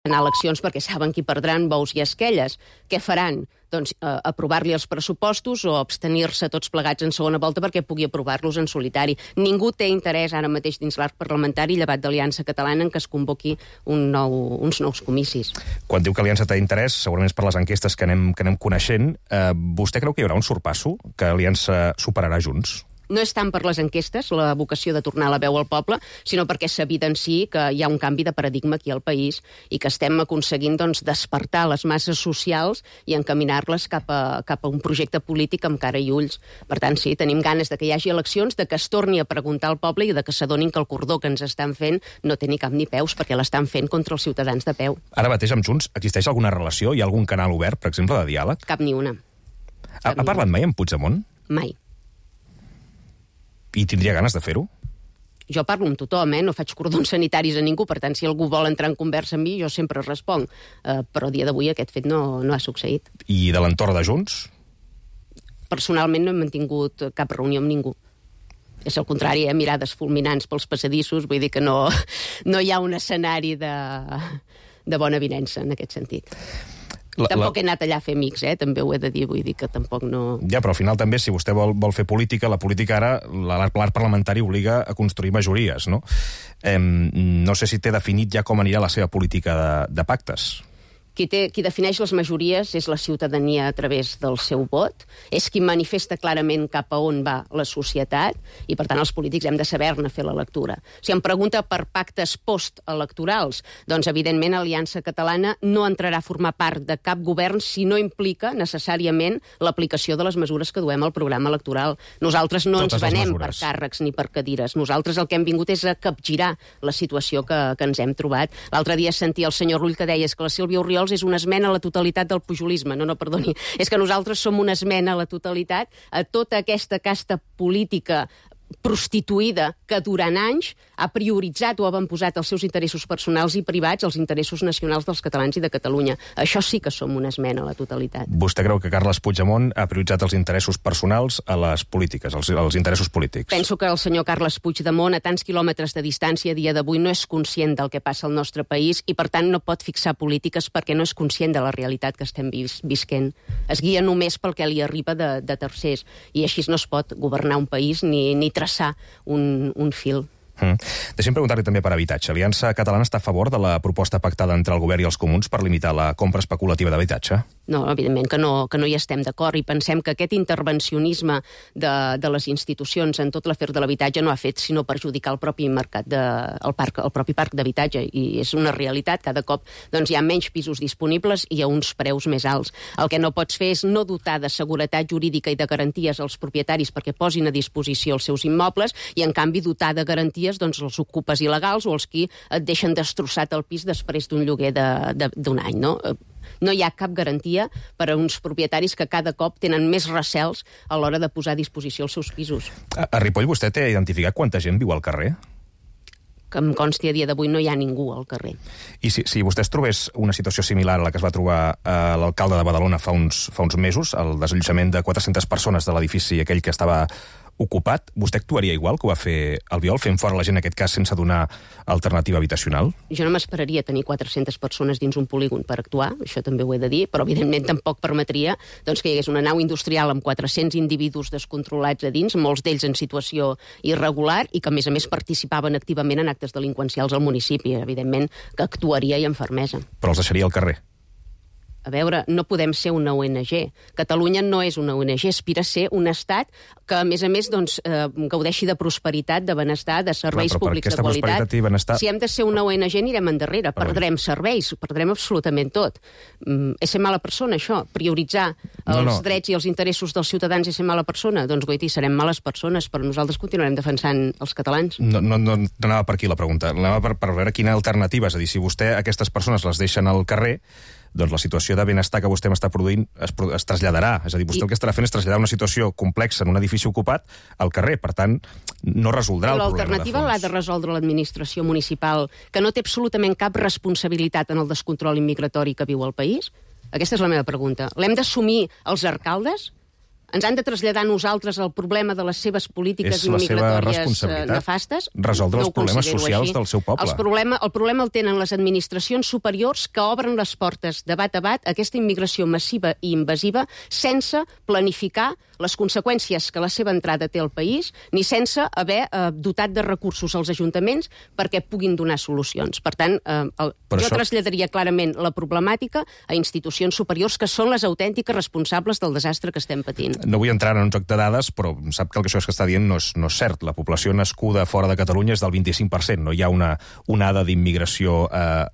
anar a eleccions perquè saben qui perdran bous i esquelles. Què faran? Doncs aprovar-li els pressupostos o abstenir-se tots plegats en segona volta perquè pugui aprovar-los en solitari. Ningú té interès ara mateix dins l'arc parlamentari, llevat d'Aliança Catalana, en què es convoqui uns nous comicis. Quan diu que Aliança té interès, segurament és per les enquestes que anem coneixent, vostè creu que hi haurà un sorpasso? Que Aliança superarà Junts? No és tant per les enquestes, la vocació de tornar la veu al poble, sinó perquè s'evidenciï que hi ha un canvi de paradigma aquí al país i que estem aconseguint despertar les masses socials i encaminar-les cap a un projecte polític amb cara i ulls. Per tant, sí, tenim ganes de que hi hagi eleccions, de que es torni a preguntar al poble i de que s'adonin que el cordó que ens estan fent no té ni cap ni peus, perquè l'estan fent contra els ciutadans de peu. Ara mateix amb Junts existeix alguna relació? Hi ha algun canal obert, per exemple, de diàleg? Cap ni una. Ha parlat mai amb Puigdemont? Mai. I tindria ganes de fer-ho? Jo parlo amb tothom, no faig cordons sanitaris a ningú, per tant, si algú vol entrar en conversa amb mi, jo sempre responc. Però a dia d'avui aquest fet no ha succeït. I de l'entorn de Junts? Personalment no he mantingut cap reunió amb ningú. És al contrari, mirades fulminants pels passadissos, vull dir que no hi ha un escenari de bona avinença en aquest sentit. Tampoc he anat allà a fer amics, també ho he de dir, vull dir que tampoc no... Ja, però al final també, si vostè vol fer política, la política ara, l'arc parlamentari obliga a construir majories, no? No sé si té definit ja com anirà la seva política de pactes. Qui defineix les majories és la ciutadania a través del seu vot, és qui manifesta clarament cap a on va la societat i, per tant, els polítics hem de saber-ne fer la lectura. Si em pregunta per pactes postelectorals, doncs, evidentment, Aliança Catalana no entrarà a formar part de cap govern si no implica necessàriament l'aplicació de les mesures que duem al programa electoral. Nosaltres no ens venem per càrrecs ni per cadires. Nosaltres el que hem vingut és a capgirar la situació que ens hem trobat. L'altre dia sentia el senyor Rull que deia que la Sílvia Orriols és una esmena a la totalitat del pujolisme. No, perdoni. És que nosaltres som una esmena a la totalitat a tota aquesta casta política prostituïda que durant anys ha prioritzat o ha avantposat els seus interessos personals i privats als interessos nacionals dels catalans i de Catalunya. Això sí que som una esmena a la totalitat. Vostè creu que Carles Puigdemont ha prioritzat els interessos personals a les polítiques, els interessos polítics? Penso que el senyor Carles Puigdemont, a tants quilòmetres de distància a dia d'avui, no és conscient del que passa al nostre país i, per tant, no pot fixar polítiques perquè no és conscient de la realitat que estem visquent. Es guia només pel que li arriba de tercers i així no es pot governar un país ni traçar un fil. Deixem preguntar-li també per habitatge. Aliança Catalana està a favor de la proposta pactada entre el govern i els comuns per limitar la compra especulativa d'habitatge? No, evidentment que no hi estem d'acord i pensem que aquest intervencionisme de les institucions en tot l'afer de l'habitatge no ha fet sinó perjudicar el propi mercat, el propi parc d'habitatge, i és una realitat. Cada cop hi ha menys pisos disponibles i a uns preus més alts. El que no pots fer és no dotar de seguretat jurídica i de garanties als propietaris perquè posin a disposició els seus immobles i, en canvi, dotar de garanties els ocupes il·legals o els qui et deixen destrossat el pis després d'un lloguer d'un any, no? No hi ha cap garantia per a uns propietaris que cada cop tenen més recels a l'hora de posar a disposició els seus pisos. A Ripoll vostè té identificat quanta gent viu al carrer? Que em consti, a dia d'avui no hi ha ningú al carrer. I si vostè es trobés una situació similar a la que es va trobar l'alcalde de Badalona fa uns mesos, el desallotjament de 400 persones de l'edifici aquell que estava ocupat, vostè actuaria igual que ho va fer Albiol, fent fora la gent en aquest cas sense donar alternativa habitacional? Jo no m'esperaria tenir 400 persones dins un polígon per actuar, això també ho he de dir, però evidentment tampoc permetria que hi hagués una nau industrial amb 400 individus descontrolats a dins, molts d'ells en situació irregular i que a més participaven activament en actes delinqüencials al municipi. Evidentment que actuaria i amb fermesa. Però els deixaria al carrer? A veure, no podem ser una ONG. Catalunya no és una ONG, aspira a ser un estat que, a més, gaudeixi de prosperitat, de benestar, de serveis públics de qualitat. Si hem de ser una ONG, anirem endarrere. Perdrem serveis, perdrem absolutament tot. És ser mala persona, això? Prioritzar els drets i els interessos dels ciutadans és ser mala persona? Doncs, goiti, serem males persones, però nosaltres continuarem defensant els catalans. No anava per aquí la pregunta. Anava per veure quina alternativa. És a dir, si vostè aquestes persones les deixen al carrer, doncs la situació de benestar que vostè m'està produint es traslladarà. És a dir, vostè el que estarà fent és traslladar una situació complexa en un edifici ocupat al carrer. Per tant, no resoldrà el problema de fons. L'alternativa l'ha de resoldre l'administració municipal, que no té absolutament cap responsabilitat en el descontrol immigratori que viu el país? Aquesta és la meva pregunta. L'hem d'assumir els alcaldes? ens han de traslladar a nosaltres el problema de les seves polítiques migratòries nefastes? Resoldre els problemes socials del seu poble. El problema el tenen les administracions superiors que obren les portes de bat a bat a aquesta immigració massiva i invasiva sense planificar les conseqüències que la seva entrada té al país, ni sense haver dotat de recursos als ajuntaments perquè puguin donar solucions. Per tant, jo traslladaria clarament la problemàtica a institucions superiors que són les autèntiques responsables del desastre que estem patint. No vull entrar en un joc de dades, però sap que això que està dient no és cert. La població nascuda fora de Catalunya és del 25%. No hi ha una onada d'immigració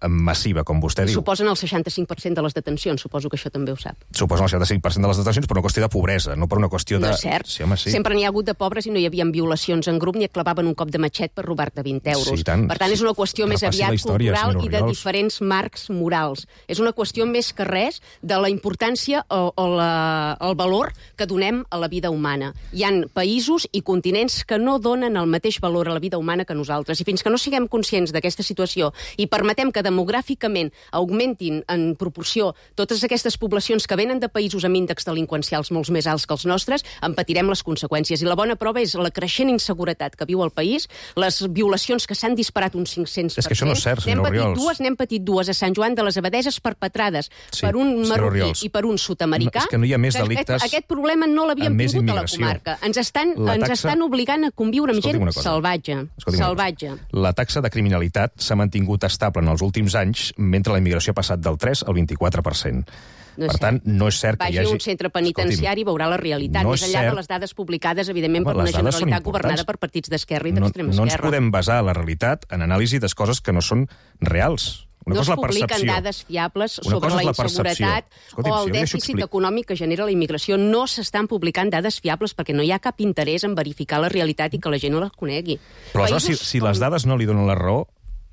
massiva, com vostè diu. Suposen el 65% de les detencions, suposo que això també ho sap. Suposen el 65% de les detencions per una qüestió de pobresa, no per una qüestió de... No és cert. Sí, home, sí. Sempre n'hi ha hagut de pobres i no hi havia violacions en grup ni et clavaven un cop de matxet per robar-te 20 euros. Sí, tant. Per tant, és una qüestió més aviat cultural i de diferents marcs morals. És una qüestió més que res de la importància o el valor que donem a la vida humana. Hi ha països i continents que no donen el mateix valor a la vida humana que nosaltres. I fins que no siguem conscients d'aquesta situació i permetem que demogràficament augmentin en proporció totes aquestes poblacions que venen de països amb índexs delinqüencials molt més alts que els nostres, en patirem les conseqüències. I la bona prova és la creixent inseguretat que viu el país, les violacions que s'han disparat un 500%. És que això no és cert, senyor Orriols. N'hem patit dues a Sant Joan de les Abadeses perpetrades per un marroquí i per un sud-americà. És que no hi ha més delictes. Aquest problema no l'havíem tingut a la comarca. Ens estan obligant a conviure amb gent salvatge. La taxa de criminalitat s'ha mantingut estable en els últims anys, mentre la immigració ha passat del 3 al 24%. Per tant, no és cert que hi hagi... Vagi a un centre penitenciari i veurà la realitat, més enllà de les dades publicades, evidentment, per una Generalitat governada per partits d'esquerra i d'extrema esquerra. No ens podem basar la realitat en anàlisi de coses que no són reals. No es publiquen dades fiables sobre la inseguretat o el dèficit econòmic que genera la immigració. No s'estan publicant dades fiables perquè no hi ha cap interès en verificar la realitat i que la gent no la conegui. Però aleshores, si les dades no li donen la raó,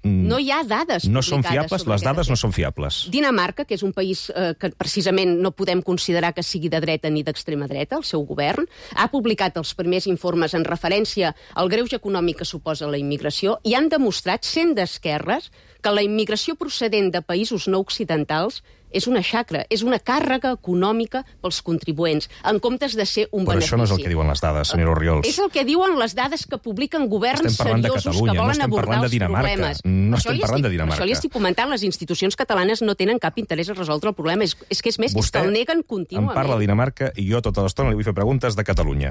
no hi ha dades no són fiables, les dades no són fiables. Dinamarca, que és un país que precisament no podem considerar que sigui de dreta ni d'extrema dreta, el seu govern, ha publicat els primers informes en referència al greuge econòmic que suposa la immigració i han demostrat, sent d'esquerres, que la immigració procedent de països no occidentals és una xacra, és una càrrega econòmica pels contribuents, en comptes de ser un benefici. Però això no és el que diuen les dades, senyora Orriols. És el que diuen les dades que publiquen governs seriosos que volen abordar els problemes. No estem parlant de Dinamarca. Això li estic comentant, les institucions catalanes no tenen cap interès a resoldre el problema. És que és més, és que el neguen contínuament. Em parla de Dinamarca i jo tota l'estona li vull fer preguntes de Catalunya.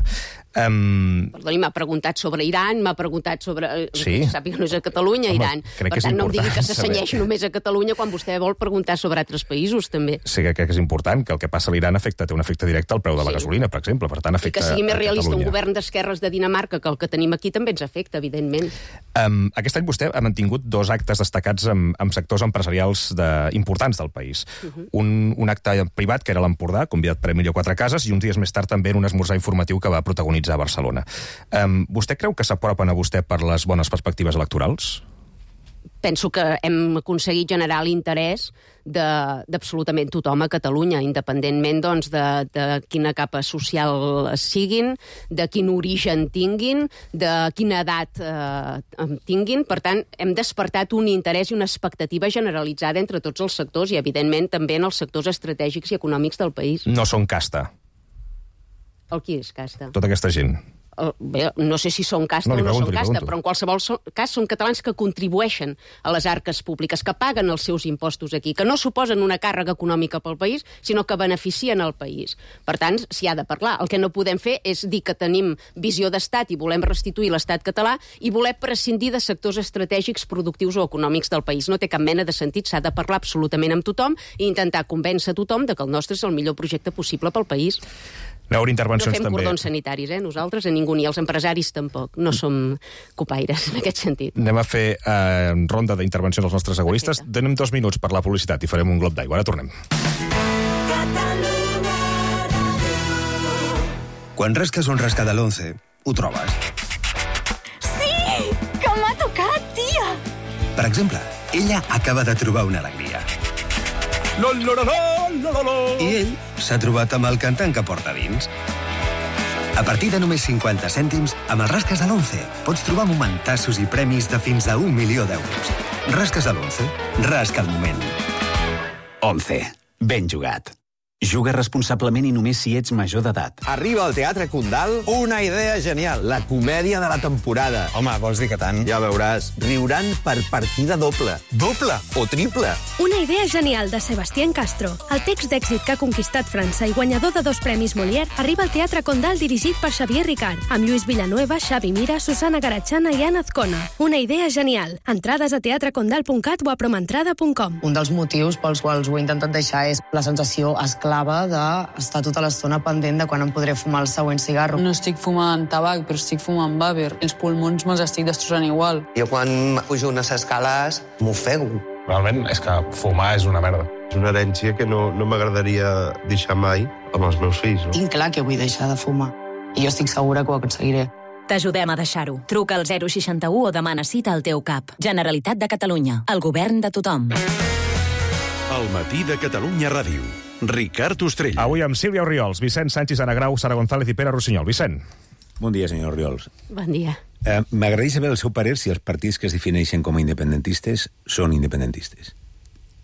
Perdoni, m'ha preguntat sobre Iran, m'ha preguntat sobre... Sí? Sàpiga que no és a Catalunya, Iran. Per tant, no em digui que s'assenyeix només a Catalunya quan vostè vol preguntar sobre altres països, també. Sí, crec que és important que el que passa a l'Iran té un efecte directe al preu de la gasolina, per exemple. Per tant, afecta a Catalunya. I que sigui més realista un govern d'esquerres de Dinamarca que el que tenim aquí també ens afecta, evidentment. Aquest any vostè ha mantingut 2 actes destacats amb sectors empresarials importants del país. Un acte privat, que era l'Empordà, convidat per Emilio Quatre Cases, i uns dies més tard també en un esmorzar informatiu que va protagonitzar a Barcelona. Vostè creu que s'apropen a vostè per les bones perspectives electorals? Penso que hem aconseguit generar l'interès d'absolutament tothom a Catalunya, independentment doncs, de quina capa social siguin, de quin origen tinguin, de quina edat tinguin. Per tant, hem despertat un interès i una expectativa generalitzada entre tots els sectors i, evidentment, també en els sectors estratègics i econòmics del país. No són casta. El qui és casta? Tota aquesta gent. Bé, no sé si són casta o no són casta, però en qualsevol cas són catalans que contribueixen a les arques públiques, que paguen els seus impostos aquí, que no suposen una càrrega econòmica pel país, sinó que beneficien el país. Per tant, s'hi ha de parlar. El que no podem fer és dir que tenim visió d'estat i volem restituir l'estat català i voler prescindir de sectors estratègics, productius o econòmics del país. No té cap mena de sentit, s'ha de parlar absolutament amb tothom i intentar convèncer tothom de que el nostre és el millor projecte possible pel país. No fem cordons sanitaris, nosaltres, a ningú, ni els empresaris tampoc. No som copaires, en aquest sentit. Anem a fer ronda d'intervencions als nostres egoistes. Donem 2 minuts per la publicitat i farem un glob d'aigua. Ara tornem. Quan rasques un rasca de l'11, ho trobes. Sí! Que m'ha tocat, tia! Per exemple, ella acaba de trobar una alegria. I ell s'ha trobat amb el cantant que porta dins. A partir de només 50 cèntims, amb els rasques de l'11 pots trobar momentassos i premis de fins a 1 milió d'euros. Rasques de l'11, rasca el moment. 11. Ben jugat. Juga responsablement i només si ets major d'edat. Arriba al Teatre Condal una idea genial, la comèdia de la temporada. Home, vols dir que tant? Ja veuràs, riuran per partida doble. Doble o triple. Una idea genial de Sebastián Castro. El text d'èxit que ha conquistat França i guanyador de 2 premis Molière arriba al Teatre Condal dirigit per Xavier Ricard, amb Lluís Villanueva, Xavi Mira, Susana Garachana i Ana Azcona. Una idea genial. Entrades a teatrecondal.cat o a promentrada.com. Un dels motius pels quals ho he intentat deixar és la sensació esclava d'estar tota l'estona pendent de quan em podré fumar el següent cigarro. No estic fumant tabac, però estic fumant vàver. Els pulmons me'ls estic destrossant igual. Jo quan pujo unes escales m'ofego. Realment és que fumar és una merda. És una herència que no m'agradaria deixar mai amb els meus fills. No? Tinc clar que vull deixar de fumar i jo estic segura que ho aconseguiré. T'ajudem a deixar-ho. Truca al 061 o demana cita al teu CAP. Generalitat de Catalunya. El govern de tothom. El matí de Catalunya Ràdio. Ricard Ostrell. Avui amb Sílvia Orriols, Vicent Sánchez, Ana Grau, Sara González i Pere Rossinyol. Vicent. Bon dia, senyor Orriols. Bon dia. M'agradaria saber el seu parer si els partits que es defineixen com a independentistes són independentistes.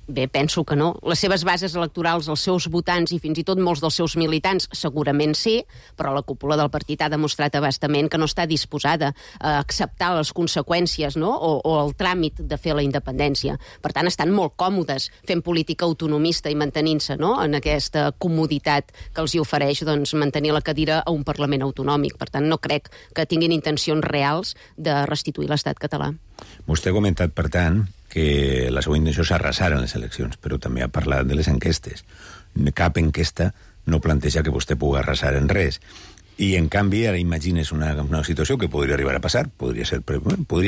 Bé, penso que no. Les seves bases electorals, els seus votants i fins i tot molts dels seus militants segurament sí, però la cúpula del partit ha demostrat abastament que no està disposada a acceptar les conseqüències, no? o el tràmit de fer la independència. Per tant, estan molt còmodes fent política autonomista i mantenint-se, no?, en aquesta comoditat que els hi ofereix mantenir la cadira a un Parlament autonòmic. Per tant, no crec que tinguin intencions reals de restituir l'estat català. Vostè ha comentat, per tant, que la seva intenció és arrasar en les eleccions, però també ha parlat de les enquestes. Cap enquesta no planteja que vostè pugui arrasar en res. I, en canvi, ara imagines una situació que podria arribar a passar, podria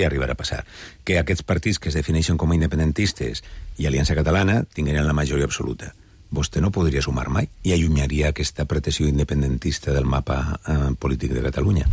arribar a passar, que aquests partits que es defineixen com a independentistes i Aliança Catalana tinguin la majoria absoluta. Vostè no podria sumar mai i allunyaria aquesta pretensió independentista del mapa polític de Catalunya.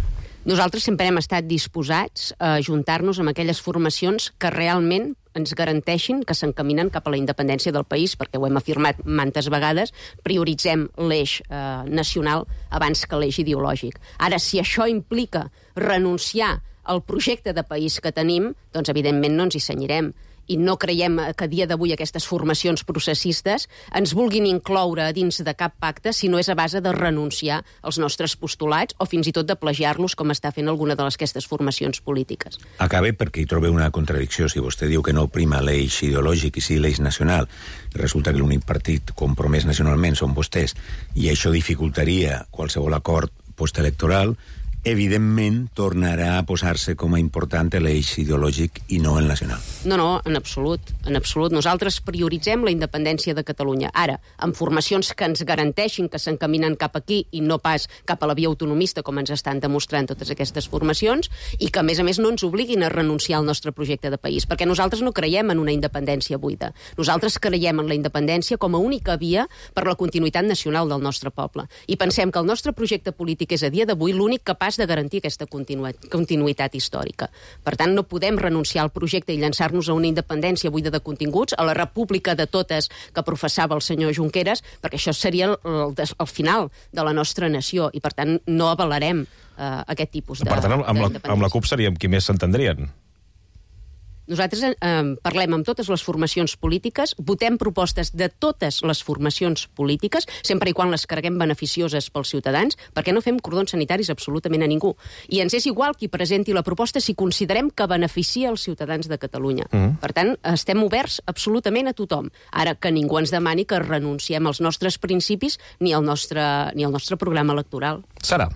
Nosaltres sempre hem estat disposats a ajuntar-nos amb aquelles formacions que realment ens garanteixin que s'encaminen cap a la independència del país, perquè ho hem afirmat mantes vegades, prioritzem l'eix nacional abans que l'eix ideològic. Ara, si això implica renunciar al projecte de país que tenim, doncs evidentment no ens hi cenyirem. I no creiem que a dia d'avui aquestes formacions processistes ens vulguin incloure dins de cap pacte si no és a base de renunciar als nostres postulats o fins i tot de plagiar-los com està fent alguna d'aquestes formacions polítiques. Acabe perquè hi trobo una contradicció. Si vostè diu que no prima l'eix ideològic i sí l'eix nacional, resulta que l'únic partit compromès nacionalment són vostès i això dificultaria qualsevol acord postelectoral, evidentment tornarà a posar-se com a important l'eix ideològic i no el nacional. No, en absolut. En absolut. Nosaltres prioritzem la independència de Catalunya. Ara, amb formacions que ens garanteixin que s'encaminen cap aquí i no pas cap a la via autonomista, com ens estan demostrant totes aquestes formacions, i que, a més, no ens obliguin a renunciar al nostre projecte de país, perquè nosaltres no creiem en una independència buida. Nosaltres creiem en la independència com a única via per la continuïtat nacional del nostre poble. I pensem que el nostre projecte polític és, a dia d'avui, l'únic capaç de garantir aquesta continuïtat històrica. Per tant, no podem renunciar al projecte i llançar-nos a una independència buida de continguts, a la república de totes que professava el senyor Junqueras, perquè això seria el final de la nostra nació i, per tant, no avalarem aquest tipus de... Per tant, amb la CUP seríem qui més s'entendrien. Nosaltres parlem amb totes les formacions polítiques, votem propostes de totes les formacions polítiques, sempre i quan les creguem beneficioses pels ciutadans, perquè no fem cordons sanitaris absolutament a ningú. I ens és igual qui presenti la proposta si considerem que beneficia els ciutadans de Catalunya. Per tant, estem oberts absolutament a tothom. Ara, que ningú ens demani que renunciem als nostres principis ni al nostre programa electoral. Sara.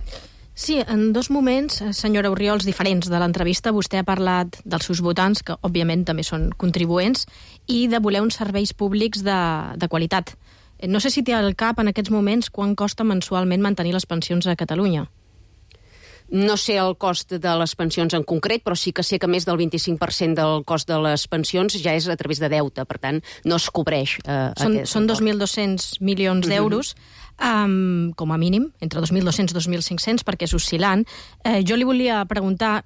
Sí, en dos moments, senyora Orriols, diferents de l'entrevista, vostè ha parlat dels seus votants, que òbviament també són contribuents, i de voler uns serveis públics de qualitat. No sé si té al cap en aquests moments quan costa mensualment mantenir les pensions a Catalunya. No sé el cost de les pensions en concret, però sí que sé que més del 25% del cost de les pensions ja és a través de deute, per tant, no es cobreix. Són 2.200 milions d'euros, com a mínim, entre 2.200 i 2.500, perquè és oscil·lant. Jo li volia preguntar,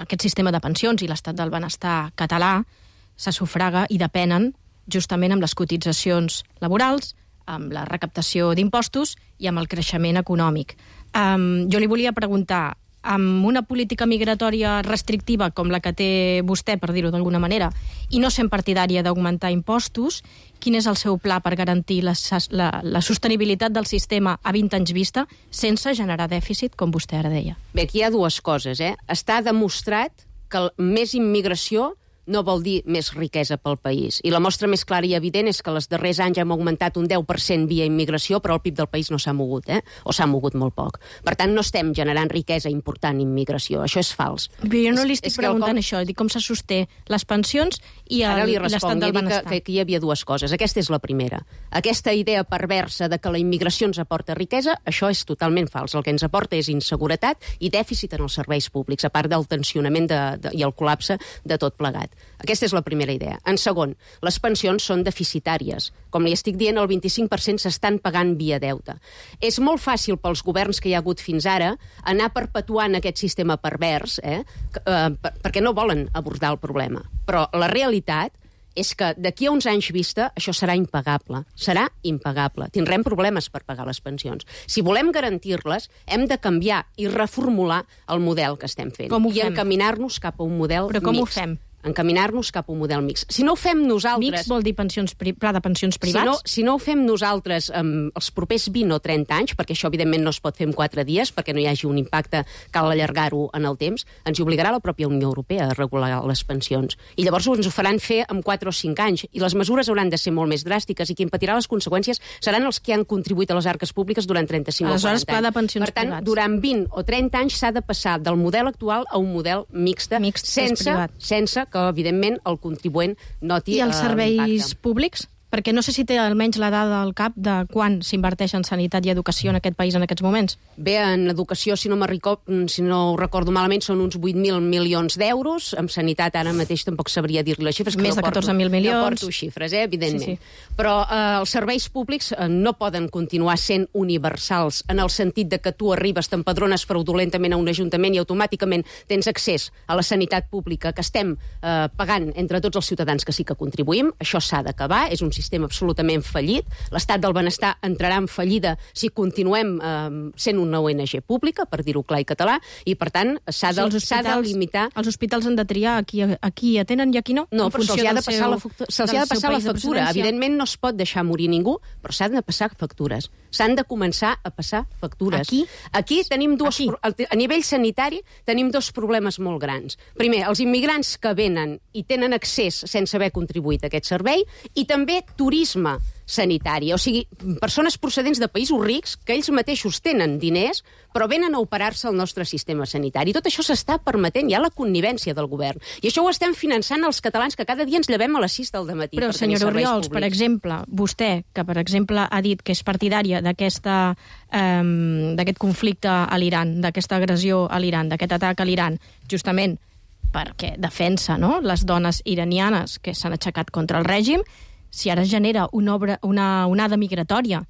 aquest sistema de pensions i l'estat del benestar català se sufraga i depenen justament amb les cotitzacions laborals, amb la recaptació d'impostos i amb el creixement econòmic. Jo li volia preguntar, amb una política migratòria restrictiva com la que té vostè, per dir-ho d'alguna manera, i no sent partidària d'augmentar impostos, quin és el seu pla per garantir la sostenibilitat del sistema a 20 anys vista sense generar dèficit, com vostè ara deia? Bé, aquí hi ha dues coses. Està demostrat que més immigració no vol dir més riquesa pel país. I la mostra més clara i evident és que els darrers anys hem augmentat un 10% via immigració, però el PIB del país no s'ha mogut, o s'ha mogut molt poc. Per tant, no estem generant riquesa important immigració. Això és fals. Però jo no li estic preguntant això, dic com se sosté les pensions i l'estat del benestar. Que aquí hi havia dues coses. Aquesta és la primera. Aquesta idea perversa de que la immigració ens aporta riquesa, això és totalment fals. El que ens aporta és inseguretat i dèficit en els serveis públics, a part del tensionament i el col·lapse de tot plegat. Aquesta és la primera idea. En segon, les pensions són deficitàries. Com li estic dient, el 25% s'estan pagant via deute. És molt fàcil pels governs que hi ha hagut fins ara anar perpetuant aquest sistema pervers, perquè no volen abordar el problema. Però la realitat és que d'aquí a uns anys vista això serà impagable. Serà impagable. Tindrem problemes per pagar les pensions. Si volem garantir-les, hem de canviar i reformular el model que estem fent. I encaminar-nos cap a un model mixt. Però com ho fem? Encaminar-nos cap a un model mixt. Si no ho fem nosaltres... Mixt vol dir pla de pensions privats? Si no ho fem nosaltres els propers 20 o 30 anys, perquè això evidentment no es pot fer en 4 dies, perquè no hi hagi un impacte, cal allargar-ho en el temps, ens hi obligarà la pròpia Unió Europea a regular les pensions. I llavors ens ho faran fer en 4 o 5 anys. I les mesures hauran de ser molt més dràstiques i qui en patirà les conseqüències seran els que han contribuït a les arques públiques durant 35 o 40 anys. Aleshores, pla de pensions privats. Per tant, durant 20 o 30 anys s'ha de passar del model actual a un model mixt sense que, evidentment, el contribuent noti I els serveis públics? Perquè no sé si té almenys la dada al cap de quan s'inverteix en sanitat i educació en aquest país en aquests moments. Bé, en educació, si no ho recordo malament, són uns 8.000 milions d'euros. En sanitat, ara mateix tampoc sabria dir-li les xifres. Més de 14.000 milions. No porto xifres, evidentment. Sí. Però els serveis públics no poden continuar sent universals en el sentit de que tu arribes, t'empadrones fraudulentament a un ajuntament i automàticament tens accés a la sanitat pública que estem pagant entre tots els ciutadans que sí que contribuïm. Això s'ha d'acabar, és un sistema absolutament fallit. L'estat del benestar entrarà en fallida si continuem sent una ONG pública, per dir-ho clar i català, i per tant s'ha de limitar... Els hospitals han de triar a qui atenen i a qui no? No, però se'ls ha de passar la factura. Evidentment no es pot deixar morir ningú, però s'han de passar factures. S'han de començar a passar factures. Aquí tenim a nivell sanitari tenim dos problemes molt grans. Primer, els immigrants que venen i tenen accés sense haver contribuït a aquest servei, i també turisme sanitari, o sigui, persones procedents de països rics que ells mateixos tenen diners però venen a operar-se al nostre sistema sanitari. Tot això s'està permetent, hi ha la connivència del govern. I això ho estem finançant els catalans que cada dia ens llevem a les 6 del matí. Però, senyora Orriols, per exemple, vostè, que per exemple ha dit que és partidària d'aquest conflicte a l'Iran, d'aquesta agressió a l'Iran, d'aquest atac a l'Iran, justament perquè defensa les dones iranianes que s'han aixecat contra el règim, si ara es genera una onada migratòria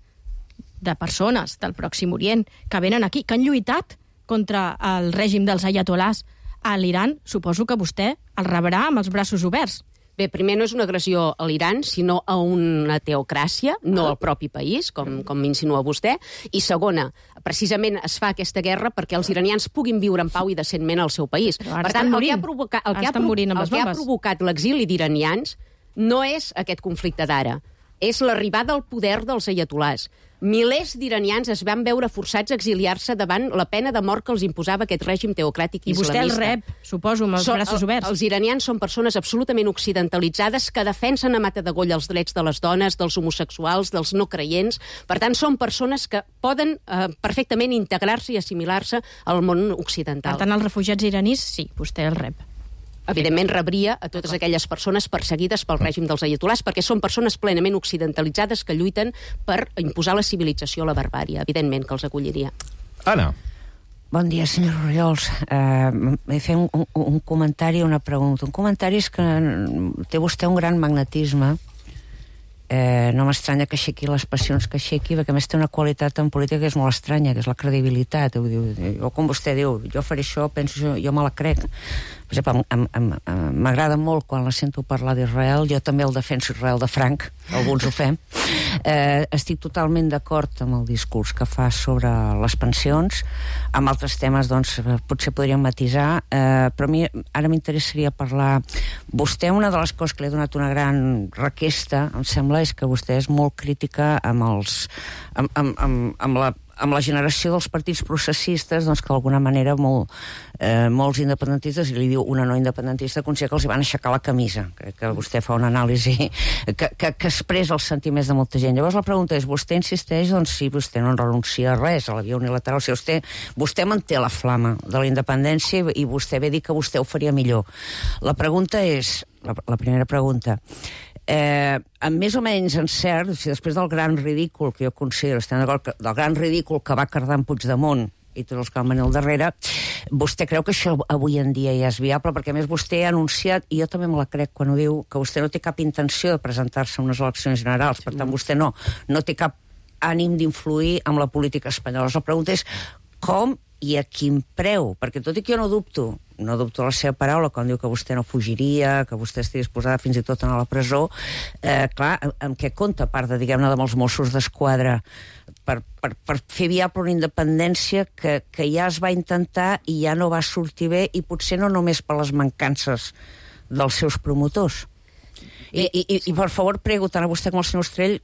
de persones del Pròxim Orient que venen aquí, que han lluitat contra el règim dels ayatolars a l'Iran, suposo que vostè el rebrà amb els braços oberts. Bé, primer no és una agressió a l'Iran, sinó a una teocràcia, no al propi país, com insinua vostè. I segona, precisament es fa aquesta guerra perquè els iranians puguin viure en pau i decentment al seu país. Per tant, el que ha provocat l'exili d'iranians no és aquest conflicte d'ara, és l'arribada al poder dels ayatolars. Milers d'iranians es van veure forçats a exiliar-se davant la pena de mort que els imposava aquest règim teocràtic islamista. I vostè el rep, suposo, amb els braços oberts. Els iranians són persones absolutament occidentalitzades que defensen a matadegolla els drets de les dones, dels homosexuals, dels no creients. Per tant, són persones que poden perfectament integrar-se i assimilar-se al món occidental. Per tant, els refugiats iranis, sí, vostè el rep. Evidentment rebria a totes aquelles persones perseguides pel règim dels ayatolars, perquè són persones plenament occidentalitzades que lluiten per imposar la civilització a la barbària. Evidentment que els acolliria. Anna. Bon dia, senyor Orriols. Fer un comentari i una pregunta. Un comentari és que té vostè un gran magnetisme. no m'estranya que aixequi les passions que aixequi, perquè a més té una qualitat en política que és molt estranya, que és la credibilitat. O com vostè diu, jo faré això, penso, jo me la crec. Per exemple, m'agrada molt quan la sento parlar d'Israel, jo també el defenso Israel de franc, alguns ho fem. Estic totalment d'acord amb el discurs que fa sobre les pensions. Amb altres temes, doncs, potser podríem matisar, però a mi ara m'interessaria parlar... Vostè, una de les coses que li ha donat una gran requesta, em sembla, és que vostè és molt crítica amb la generació dels partits processistes, doncs que d'alguna manera molts independentistes, i li diu una no independentista, considera que els van aixecar la camisa. Crec que vostè fa una anàlisi que expressa els sentiments de molta gent. Llavors la pregunta és, vostè insisteix, doncs si vostè no renuncia a res, a la via unilateral, si vostè manté la flama de la independència i vostè ve a dir que vostè ho faria millor. La pregunta és, la primera pregunta, amb més o menys encert, si després del gran ridícul que jo considero, estem d'acord, del gran ridícul que va cardar en Puigdemont i tots els que van venir al darrere, vostè creu que això avui en dia ja és viable? Perquè a més vostè ha anunciat, i jo també me la crec quan ho diu, que vostè no té cap intenció de presentar-se a unes eleccions generals, per tant vostè no té cap ànim d'influir en la política espanyola. La pregunta és com i a quin preu? Perquè tot i que jo no dubto la seva paraula quan diu que vostè no fugiria, que vostè estigui disposada fins i tot a anar a la presó, clar, amb què compta, a part de, diguem-ne, amb els Mossos d'Esquadra, per fer viable una independència que ja es va intentar i ja no va sortir bé, i potser no només per les mancances dels seus promotors. I per favor, prego tant a vostè com al senyor Estrell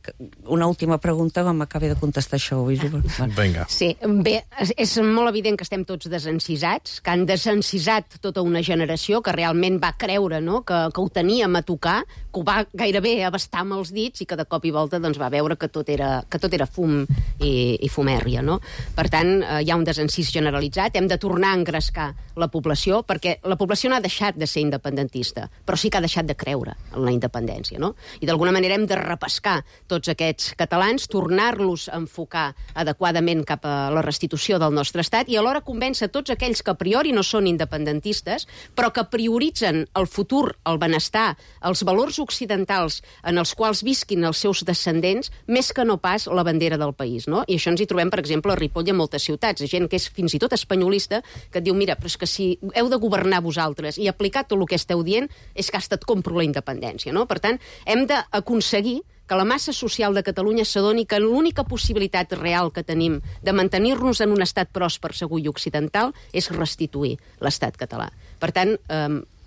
una última pregunta quan m'acabi de contestar això. Vinga. Sí, bé, és molt evident que estem tots desencisats, que han desencisat tota una generació que realment va creure, no?, que ho teníem a tocar, que ho va gairebé abastar amb els dits i que de cop i volta doncs, va veure que tot era fum i fumèrria, no? Per tant, hi ha un desencís generalitzat, hem de tornar a engrescar la població, perquè la població no ha deixat de ser independentista, però sí que ha deixat de creure en la independència, no? I d'alguna manera hem de repescar tots aquests catalans, tornar-los a enfocar adequadament cap a la restitució del nostre estat i alhora convèncer tots aquells que a priori no són independentistes, però que prioritzen el futur, el benestar, els valors occidentals en els quals visquin els seus descendents, més que no pas la bandera del país, no? I això ens hi trobem, per exemple, a Ripoll i a moltes ciutats, gent que és fins i tot espanyolista, que et diu, mira, però és que si heu de governar vosaltres i aplicar tot el que esteu dient, és que hasta et compro la independència, no? Per tant, hem d'aconseguir que la massa social de Catalunya s'adoni que l'única possibilitat real que tenim de mantenir-nos en un estat pròsper, segur i occidental és restituir l'estat català. Per tant,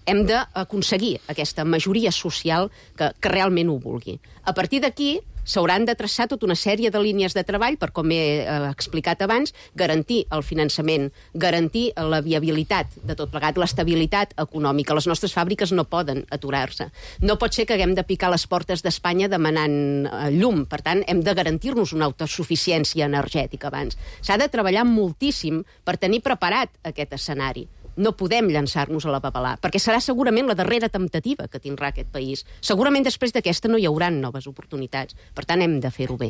hem d'aconseguir aquesta majoria social que realment ho vulgui. A partir d'aquí s'hauran de traçar tota una sèrie de línies de treball per, com he explicat abans, garantir el finançament, garantir la viabilitat de tot plegat, l'estabilitat econòmica. Les nostres fàbriques no poden aturar-se. No pot ser que haguem de picar les portes d'Espanya demanant llum. Per tant, hem de garantir-nos una autosuficiència energètica abans. S'ha de treballar moltíssim per tenir preparat aquest escenari. No podem llançar-nos a la papelà, perquè serà segurament la darrera temptativa que tindrà aquest país. Segurament després d'aquesta no hi haurà noves oportunitats. Per tant, hem de fer-ho bé.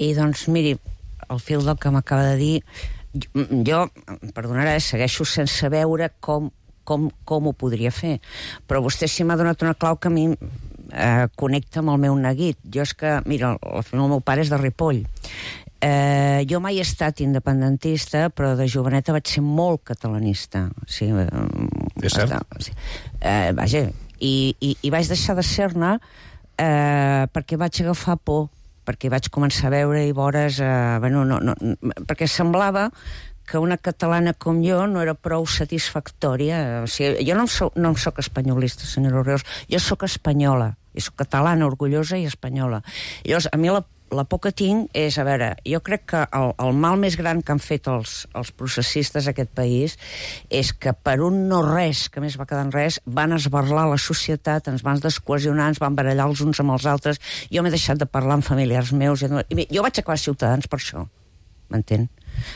I doncs, miri, al fil del que m'acaba de dir, jo, perdonarà, segueixo sense veure com ho podria fer. Però vostè sí m'ha donat una clau que a mi connecta amb el meu neguit. Jo és que, mira, el meu pare és de Ripoll. Jo mai he estat independentista, però de joveneta vaig ser molt catalanista. Sí, és cert? Sí. Vaja, i vaig deixar de ser-ne perquè vaig agafar por, perquè vaig començar a veure i vores... perquè semblava que una catalana com jo no era prou satisfactòria. O sigui, jo no em soc espanyolista, senyora Orriols, jo soc espanyola, i soc catalana, orgullosa i espanyola. Llavors, a mi la por que tinc és, a veure, jo crec que el mal més gran que han fet els processistes a aquest país és que per un no res, que més va quedar en res, van esbarlar la societat, ens van descohesionar, ens van barallar els uns amb els altres. Jo m'he deixat de parlar amb familiars meus. Jo vaig acabar Ciutadans per això, m'entén?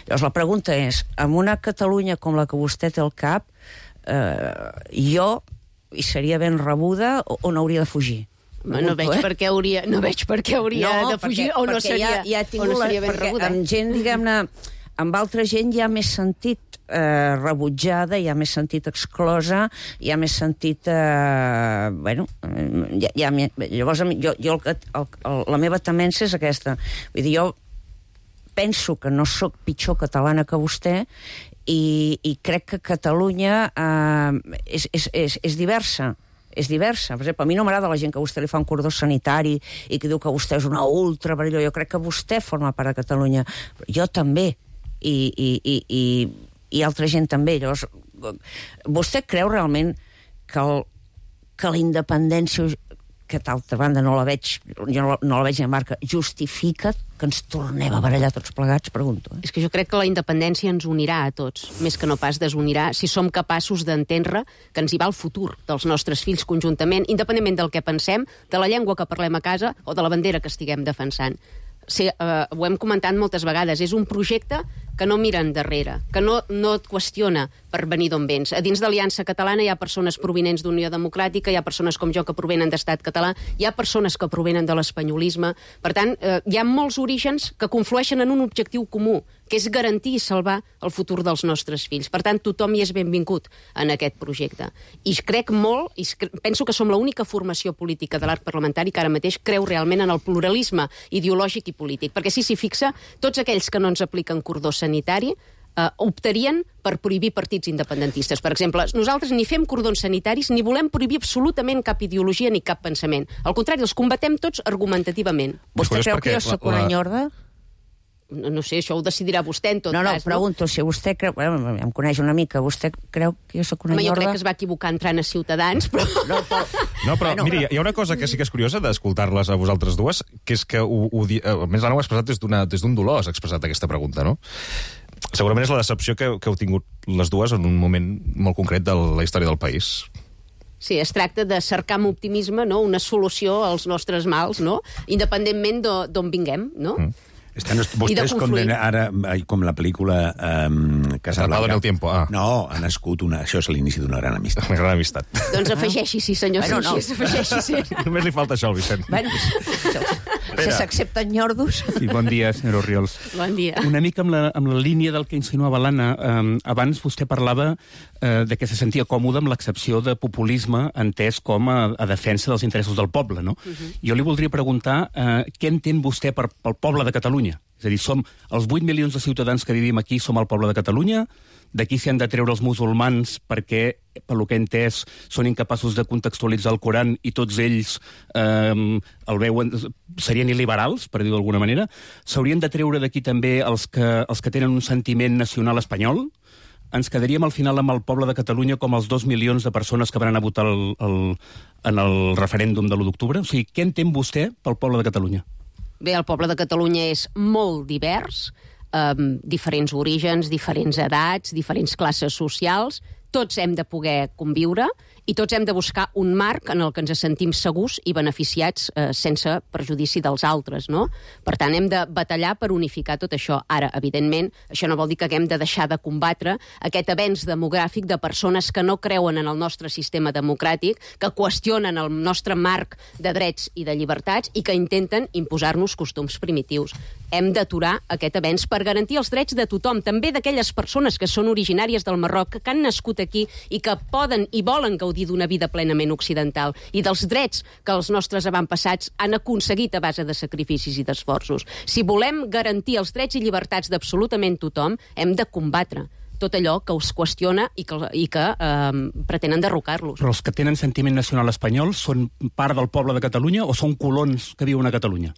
Llavors la pregunta és, en una Catalunya com la que vostè té al cap, jo hi seria ben rebuda o n'hauria de fugir? No veig per què hauria de fugir o no seria ben rebuda. Amb gent, diguem-ne, amb altra gent hi ha més sentit rebutjada, hi ha més sentit exclosa, hi ha més sentit... Llavors, la meva temència és aquesta. Vull dir, jo penso que no sóc pitjor catalana que vostè i crec que Catalunya és diversa. És diversa. Per exemple, a mi no m'agrada la gent que a vostè li fa un cordó sanitari i que diu que vostè és una ultra... Jo crec que vostè forma part de Catalunya. Jo també. I altra gent també. Llavors, vostè creu realment que la independència, que d'altra banda no la veig, jo no la veig ni a marca, justifica que ens tornem a barallar tots plegats, pregunto. És que jo crec que la independència ens unirà a tots, més que no pas desunirà, si som capaços d'entendre que ens hi va el futur dels nostres fills conjuntament, independentment del que pensem, de la llengua que parlem a casa o de la bandera que estiguem defensant. Ho hem comentat moltes vegades, és un projecte que no mira endarrere, que no et qüestiona per venir d'on vens. A dins de l'Aliança Catalana hi ha persones provinents d'Unió Democràtica, hi ha persones com jo que provenen d'Estat Català, hi ha persones que provenen de l'espanyolisme. Per tant, hi ha molts orígens que conflueixen en un objectiu comú, que és garantir i salvar el futur dels nostres fills. Per tant, tothom hi és benvingut en aquest projecte. I crec molt, i penso que som l'única formació política de l'arc parlamentari que ara mateix creu realment en el pluralisme ideològic i polític. Perquè si s'hi fixa, tots aquells que no ens apliquen cordó sanitari optarien per prohibir partits independentistes. Per exemple, nosaltres ni fem cordons sanitaris ni volem prohibir absolutament cap ideologia ni cap pensament. Al contrari, els combatem tots argumentativament. Vostè creu que jo soc una nyorda? No sé, això ho decidirà vostè en tot cas. No, pregunto, si vostè creu... em coneix una mica, vostè creu que jo soc una nyorda? Jo crec que es va equivocar entrant a Ciutadans, però... No, però miri, hi ha una cosa que sí que és curiosa d'escoltar-les a vosaltres dues, que és que, almenys l'Anna ho ha expressat des d'un dolor, has expressat aquesta pregunta, no? Segurament és la decepció que heu tingut les dues en un moment molt concret de la història del país. Sí, es tracta de cercar amb optimisme, no?, una solució als nostres mals, no?, independentment d'on vinguem, no? Estan vostès ara, com la pel·lícula Casablanca... Atrapado en el tiempo, No, ha nascut això és l'inici d'una gran amistat. Una gran amistat. Doncs afegeixi-s'hi, senyor Sanchis, afegeixi-s'hi. Només li falta això al Vicent. Si s'accepten nyordos... Sí, bon dia, senyor Orriols. Bon dia. Una mica amb la línia del que insinuava l'Anna. Abans vostè parlava de que se sentia còmode amb l'excepció de populisme entès com a defensa dels interessos del poble, no? Jo li voldria preguntar què entén vostè pel poble de Catalunya? És a dir, som els 8 milions de ciutadans que vivim aquí, som el poble de Catalunya, d'aquí s'hi han de treure els musulmans perquè, pel que he entès, són incapaços de contextualitzar el Coran i tots ells el veuen, serien il·liberals, per dir-ho d'alguna manera. S'haurien de treure d'aquí també els que tenen un sentiment nacional espanyol. Ens quedaríem al final amb el poble de Catalunya com els 2 milions de persones que van anar a votar en el referèndum de l'1 d'octubre. O sigui, què entén vostè pel poble de Catalunya? Bé, el poble de Catalunya és molt divers, diferents orígens, diferents edats, diferents classes socials. Tots hem de poder conviure i tots hem de buscar un marc en el que ens sentim segurs i beneficiats sense perjudici dels altres, no? Per tant, hem de batallar per unificar tot això. Ara, evidentment, això no vol dir que haguem de deixar de combatre aquest avenç demogràfic de persones que no creuen en el nostre sistema democràtic, que qüestionen el nostre marc de drets i de llibertats i que intenten imposar-nos costums primitius. Hem d'aturar aquest avenç per garantir els drets de tothom, també d'aquelles persones que són originàries del Marroc, que han nascut aquí i que poden i volen gaudir d'una vida plenament occidental i dels drets que els nostres avantpassats han aconseguit a base de sacrificis i d'esforços. Si volem garantir els drets i llibertats d'absolutament tothom, hem de combatre tot allò que us qüestiona i que pretenen derrocar-los. Però els que tenen sentiment nacional espanyol són part del poble de Catalunya o són colons que viuen a Catalunya?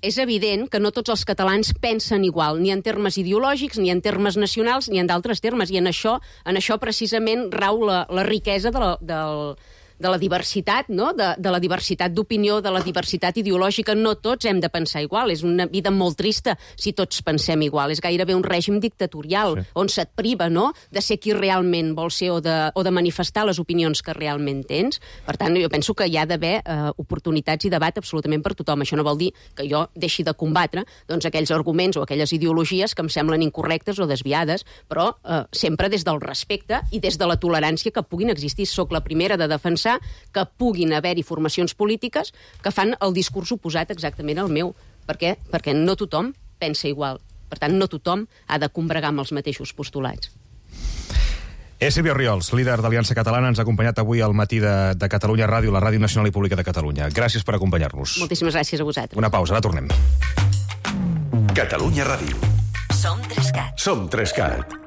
És evident que no tots els catalans pensen igual, ni en termes ideològics, ni en termes nacionals, ni en d'altres termes. I en això precisament rau la riquesa de la diversitat, no? De la diversitat d'opinió, de la diversitat ideològica. No tots hem de pensar igual. És una vida molt trista si tots pensem igual. És gairebé un règim dictatorial, on se't priva, no?, de ser qui realment vols ser o de manifestar les opinions que realment tens. Per tant, jo penso que hi ha d'haver oportunitats i debat absolutament per tothom. Això no vol dir que jo deixi de combatre aquells arguments o aquelles ideologies que em semblen incorrectes o desviades, però sempre des del respecte i des de la tolerància que puguin existir. Soc la primera de defensar que puguin haver-hi formacions polítiques que fan el discurs oposat exactament al meu. Per què? Perquè no tothom pensa igual. Per tant, no tothom ha de combregar amb els mateixos postulats. Silvia Oriols, líder d'Aliança Catalana, ens ha acompanyat avui al matí de Catalunya Ràdio, la Ràdio Nacional i Pública de Catalunya. Gràcies per acompanyar-nos. Moltíssimes gràcies a vosaltres. Una pausa, ara tornem. Catalunya Ràdio. Som 3CAT. Som 3CAT.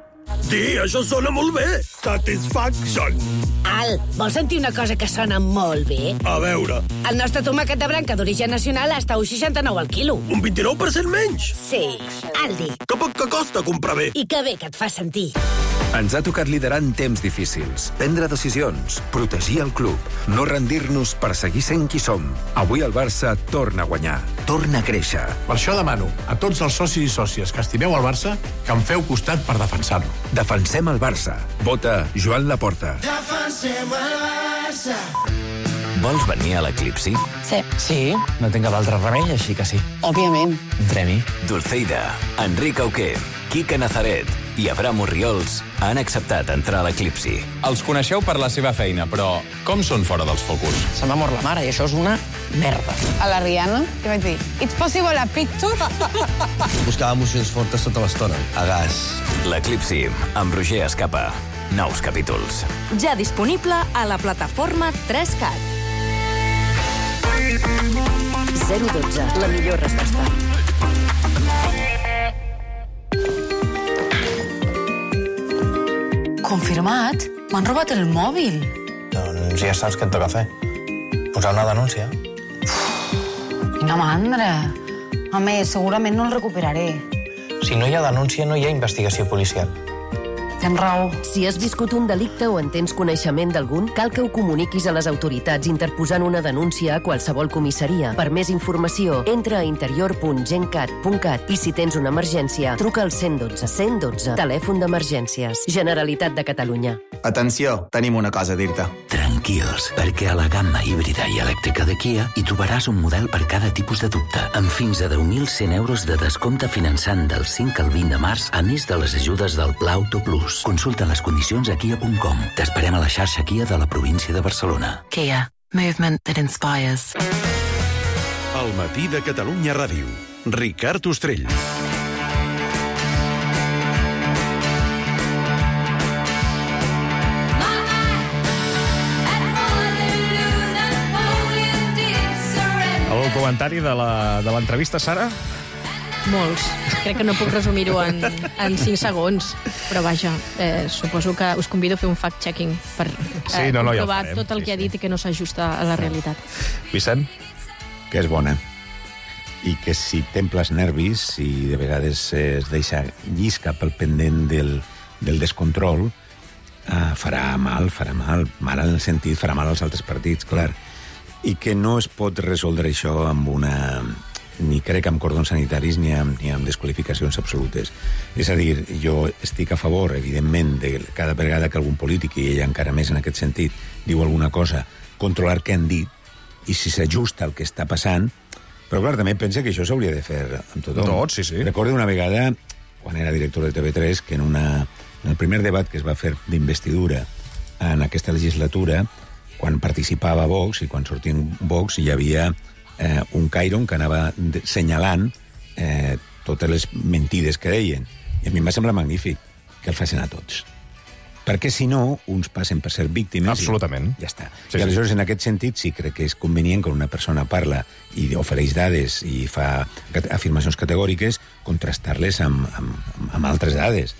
Sí, això sona molt bé. Satisfaction. Al, vols sentir una cosa que sona molt bé? A veure. El nostre tomàquet de branca d'origen nacional està a 1,69 al quilo. Un 29% menys? Sí, Aldi. Que poc que costa comprar bé. I que bé que et fa sentir. Ens ha tocat liderar en temps difícils, prendre decisions, protegir el club, no rendir-nos per seguir sent qui som. Avui el Barça torna a guanyar, torna a créixer. Per això demano a tots els socis i sòcies que estimeu el Barça que em feu costat per defensar-lo. Defensem el Barça. Vota Joan Laporta. Defensem el Barça. Vols venir a l'Eclipsi? Sí. No tinc cap altre remei, així que sí. Òbviament. Entremi. Dulceida, Enric Auqué, Quique Nazaret i Abraham Orriols han acceptat entrar a l'Eclipsi. Els coneixeu per la seva feina, però com són fora dels focus? Se m'ha mort la mare i això és una merda. A la Rihanna, què vaig dir? It's possible a picture? Buscava emocions fortes tota l'estona. A gas. L'Eclipsi, amb Roger Escapa. Nous capítols. Ja disponible a la plataforma 3CAT. 012, la millor resposta. Confirmat? M'han robat el mòbil. Doncs ja saps què et toca fer. Posar una denúncia. Quina mandra. Home, segurament no el recuperaré. Si no hi ha denúncia, no hi ha investigació policial. Tens raó. Si has viscut un delicte o en tens coneixement d'algun, cal que ho comuniquis a les autoritats interposant una denúncia a qualsevol comissaria. Per més informació, entra a interior.gencat.cat i si tens una emergència, truca al 112. 112, telèfon d'emergències. Generalitat de Catalunya. Atenció, tenim una cosa a dir-te. Tranquils, perquè a la gamma híbrida i elèctrica de Kia hi trobaràs un model per cada tipus de dubte, amb fins a 10.100 euros de descompte finançant del 5 al 20 de març, a més de les ajudes del Pla Auto Plus. Consulta les condicions a kia.com. T'esperem a la xarxa Kia de la província de Barcelona. Kia. Movement that inspires. El matí de Catalunya Ràdio. Ricard Ostrell. El comentari de l'entrevista, Sara? Molts. Crec que no puc resumir-ho en 5 segons, però vaja, suposo que us convido a fer un fact-checking per comprovar tot el que ha dit i que no s'ajusta a la realitat. Vicent? Que és bona. I que si temples nervis, si de vegades es deixa llisca pel pendent del descontrol, farà mal en el sentit, farà mal als altres partits, clar. I que no es pot resoldre això amb una... ni crec amb cordons sanitaris ni amb desqualificacions absolutes. És a dir, jo estic a favor, evidentment, de cada vegada que algun polític, i ella encara més en aquest sentit, diu alguna cosa, controlar què han dit, i si s'ajusta al que està passant, però clar, també pensa que això s'hauria de fer amb tothom. Tot, sí. Recordo una vegada, quan era director de TV3, que en el primer debat que es va fer d'investidura en aquesta legislatura, quan participava Vox i quan sortia Vox, hi havia un Cairon que anava senyalant totes les mentides que deien. I a mi em va semblar magnífic que el facin a tots. Perquè, si no, uns passen per ser víctimes... Absolutament. I ja està. I aleshores, en aquest sentit, sí crec que és convenient quan una persona parla i ofereix dades i fa afirmacions categòriques, contrastar-les amb altres dades.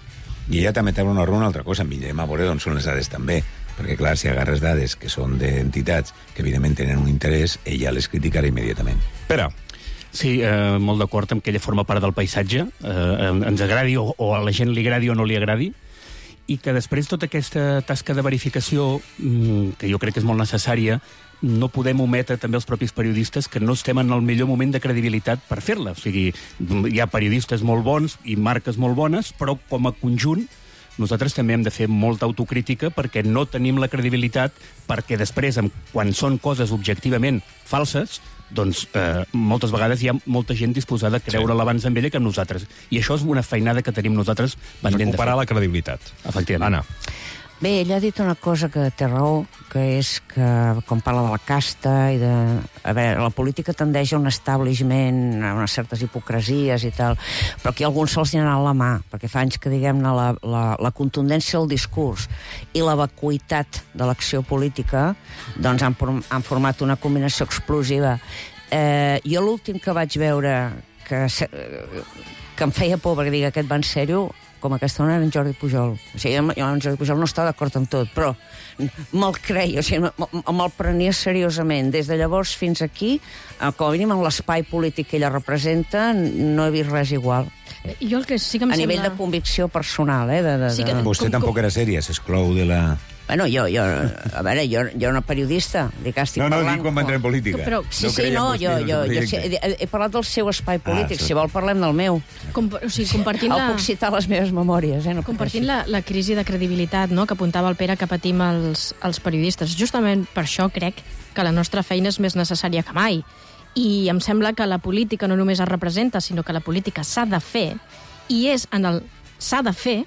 I ella també té una altra cosa. Mirem a veure d'on són les dades també. Perquè, clar, si agarres dades que són d'entitats que, evidentment, tenen un interès, ella les criticarà immediatament. Pere. Sí, molt d'acord amb que ella forma part del paisatge, ens agradi o a la gent li agradi o no li agradi, i que després tota aquesta tasca de verificació, que jo crec que és molt necessària, no podem ometre també els propis periodistes que no estem en el millor moment de credibilitat per fer-la. O sigui, hi ha periodistes molt bons i marques molt bones, però com a conjunt nosaltres també hem de fer molta autocrítica perquè no tenim la credibilitat, perquè després, quan són coses objectivament falses, doncs moltes vegades hi ha molta gent disposada a creure-la abans amb ella que amb nosaltres. I això és una feinada que tenim nosaltres pendent de fer. Recuperar la credibilitat. Efectivament. Anna. Bé, ella ha dit una cosa que té raó, que és que, quan parla de la casta i de... A veure, la política tendeix a un establishment, a unes certes hipocresies i tal, però aquí alguns se'ls hi ha anat la mà, perquè fa anys que, diguem-ne, la contundència del discurs i la vacuïtat de l'acció política doncs han format una combinació explosiva. Jo l'últim que vaig veure que em feia por, perquè dic, aquest va en sèrio, com aquesta dona, era en Jordi Pujol. O sigui, jo en Jordi Pujol no estava d'acord amb tot, però me'l creia, o sigui, me'l prenia seriosament. Des de llavors fins aquí, com a mínim en l'espai polític que ella representa, no he vist res igual. Jo el que sí que em a nivell de convicció personal, Sí que... Vostè tampoc era sèria, s'exclou de la... Bueno, jo era una periodista, estic parlant... No, dic quan va entrar en política. Sí, he parlat del seu espai polític, si vol parlem del meu. Compartint puc citar les meves memòries. Compartint la crisi de credibilitat que apuntava el Pere que patim els periodistes. Justament per això crec que la nostra feina és més necessària que mai. I em sembla que la política no només es representa, sinó que la política s'ha de fer, i és en el s'ha de fer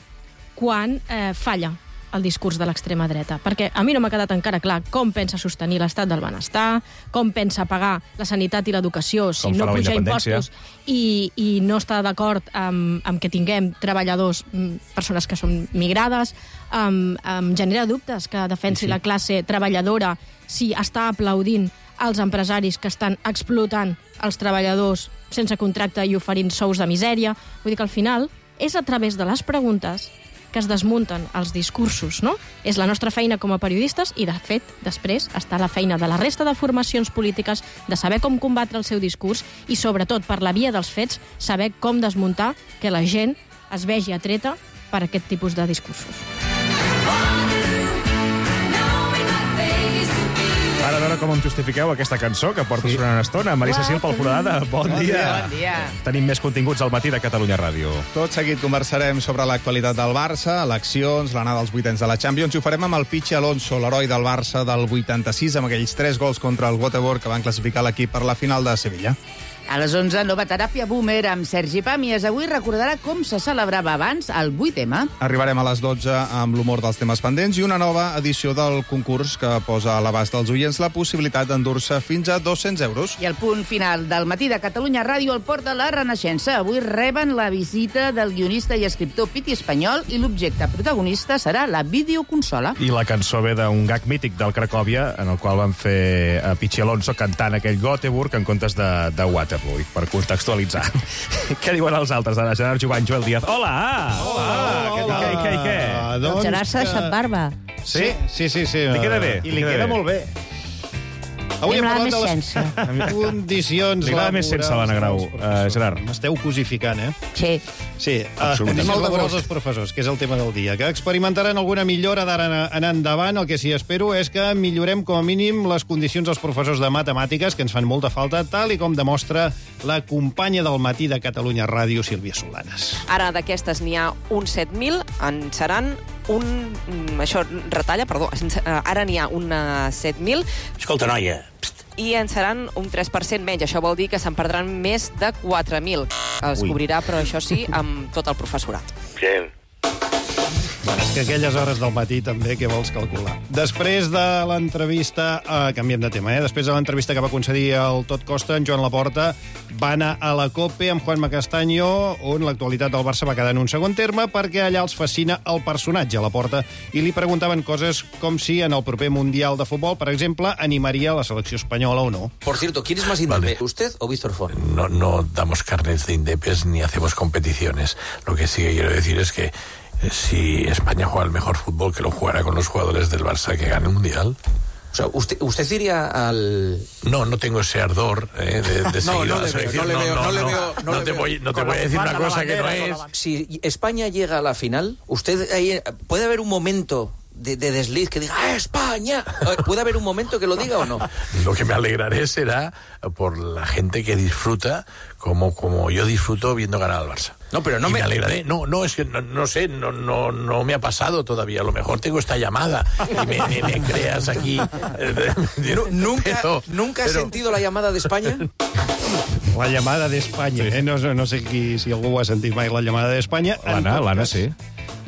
quan falla el discurs de l'extrema dreta. Perquè a mi no m'ha quedat encara clar com pensa sostenir l'estat del benestar, com pensa pagar la sanitat i l'educació si no puja impostos i no està d'acord amb que tinguem treballadors, persones que són migrades, em genera dubtes que defensi la classe treballadora si està aplaudint els empresaris que estan explotant els treballadors sense contracte i oferint sous de misèria. Vull dir que al final és a través de les preguntes que es desmunten els discursos, no? És la nostra feina com a periodistes i, de fet, després està la feina de la resta de formacions polítiques de saber com combatre el seu discurs i, sobretot, per la via dels fets, saber com desmuntar que la gent es vegi atreta per aquest tipus de discursos. Ara a veure com em justifiqueu aquesta cançó que porto sonant una estona. Marisa Sil, pel Foradada, bon dia. Bon dia. Tenim més continguts al matí de Catalunya Ràdio. Tot seguit conversarem sobre l'actualitat del Barça, eleccions, l'anada als vuitens de la Champions, i ho farem amb el Pichi Alonso, l'heroi del Barça del 86, amb aquells 3 gols contra el Göteborg que van classificar l'equip per la final de Sevilla. A les 11, nova teràpia boomer amb Sergi Pàmies. Avui recordarà com se celebrava abans el 8M. Arribarem a les 12 amb l'humor dels temes pendents i una nova edició del concurs que posa a l'abast dels oients la possibilitat d'endur-se fins a 200 euros. I el punt final del matí de Catalunya Ràdio el porta la Renaixença. Avui reben la visita del guionista i escriptor Piti Espanyol i l'objecte protagonista serà la videoconsola. I la cançó ve d'un gag mític del Cracòvia, en el qual van fer a Pichi Alonso cantant aquell Göteborg en comptes de Waterloo, per contextualitzar. Què diuen els altres? Ara, Gerard Jovany, Joel Díaz. Hola! Què? El Gerard s'ha deixat barba. Sí. Li queda bé. I li queda molt bé. Avui hem parlat de les condicions laborals. Li agrada més sense l'Anna Grau, Gerard. M'esteu cosificant, Sí. Sí, condicions laborals dels professors, que és el tema del dia, que experimentaran alguna millora d'ara en endavant. El que sí espero és que millorem com a mínim les condicions dels professors de matemàtiques, que ens fan molta falta, tal i com demostra la companya del matí de Catalunya Ràdio, Sílvia Solanes. Ara d'aquestes n'hi ha uns 7.000, en seran això retalla, perdó, ara n'hi ha un 7.000. Escolta, noia, i en seran un 3% menys. Això vol dir que se'n perdran més de 4.000. Es cobrirà, però això sí, amb tot el professorat. Sí. Bueno, és que aquelles hores del matí també, què vols calcular? Després de l'entrevista, canviem de tema, després de l'entrevista que va concedir el Tot Costa, en Joan Laporta va anar a la COPE amb Juanma Castaño, on l'actualitat del Barça va quedar en un segon terme, perquè allà els fascina el personatge a Laporta, i li preguntaven coses com si en el proper Mundial de Futbol, per exemple, animaria la selecció espanyola o no. Por cierto, ¿quién es más indepe, usted o Víctor Font? No damos carnets de indepes ni hacemos competiciones. Lo que sí que quiero decir es que si España juega el mejor fútbol, que lo jugará con los jugadores del Barça que gane el Mundial. O sea, ¿usted iría al...? No tengo ese ardor de seguir a la selección. No te voy a decir una cosa que no es. Si España llega a la final, ¿usted ahí puede haber un momento de desliz que diga ¡ah, España! ¿Puede haber un momento que lo diga o no? Lo que me alegraré será por la gente que disfruta como yo disfruto viendo ganar al Barça. No, pero no me alegraré. No, es que no sé, no me ha pasado todavía. A lo mejor tengo esta llamada y me creas aquí. ¿Nunca has sentido la llamada de España? La llamada d'Espanya, No sé si algú ho ha sentit mai, la llamada d'Espanya. L'Anna, sí.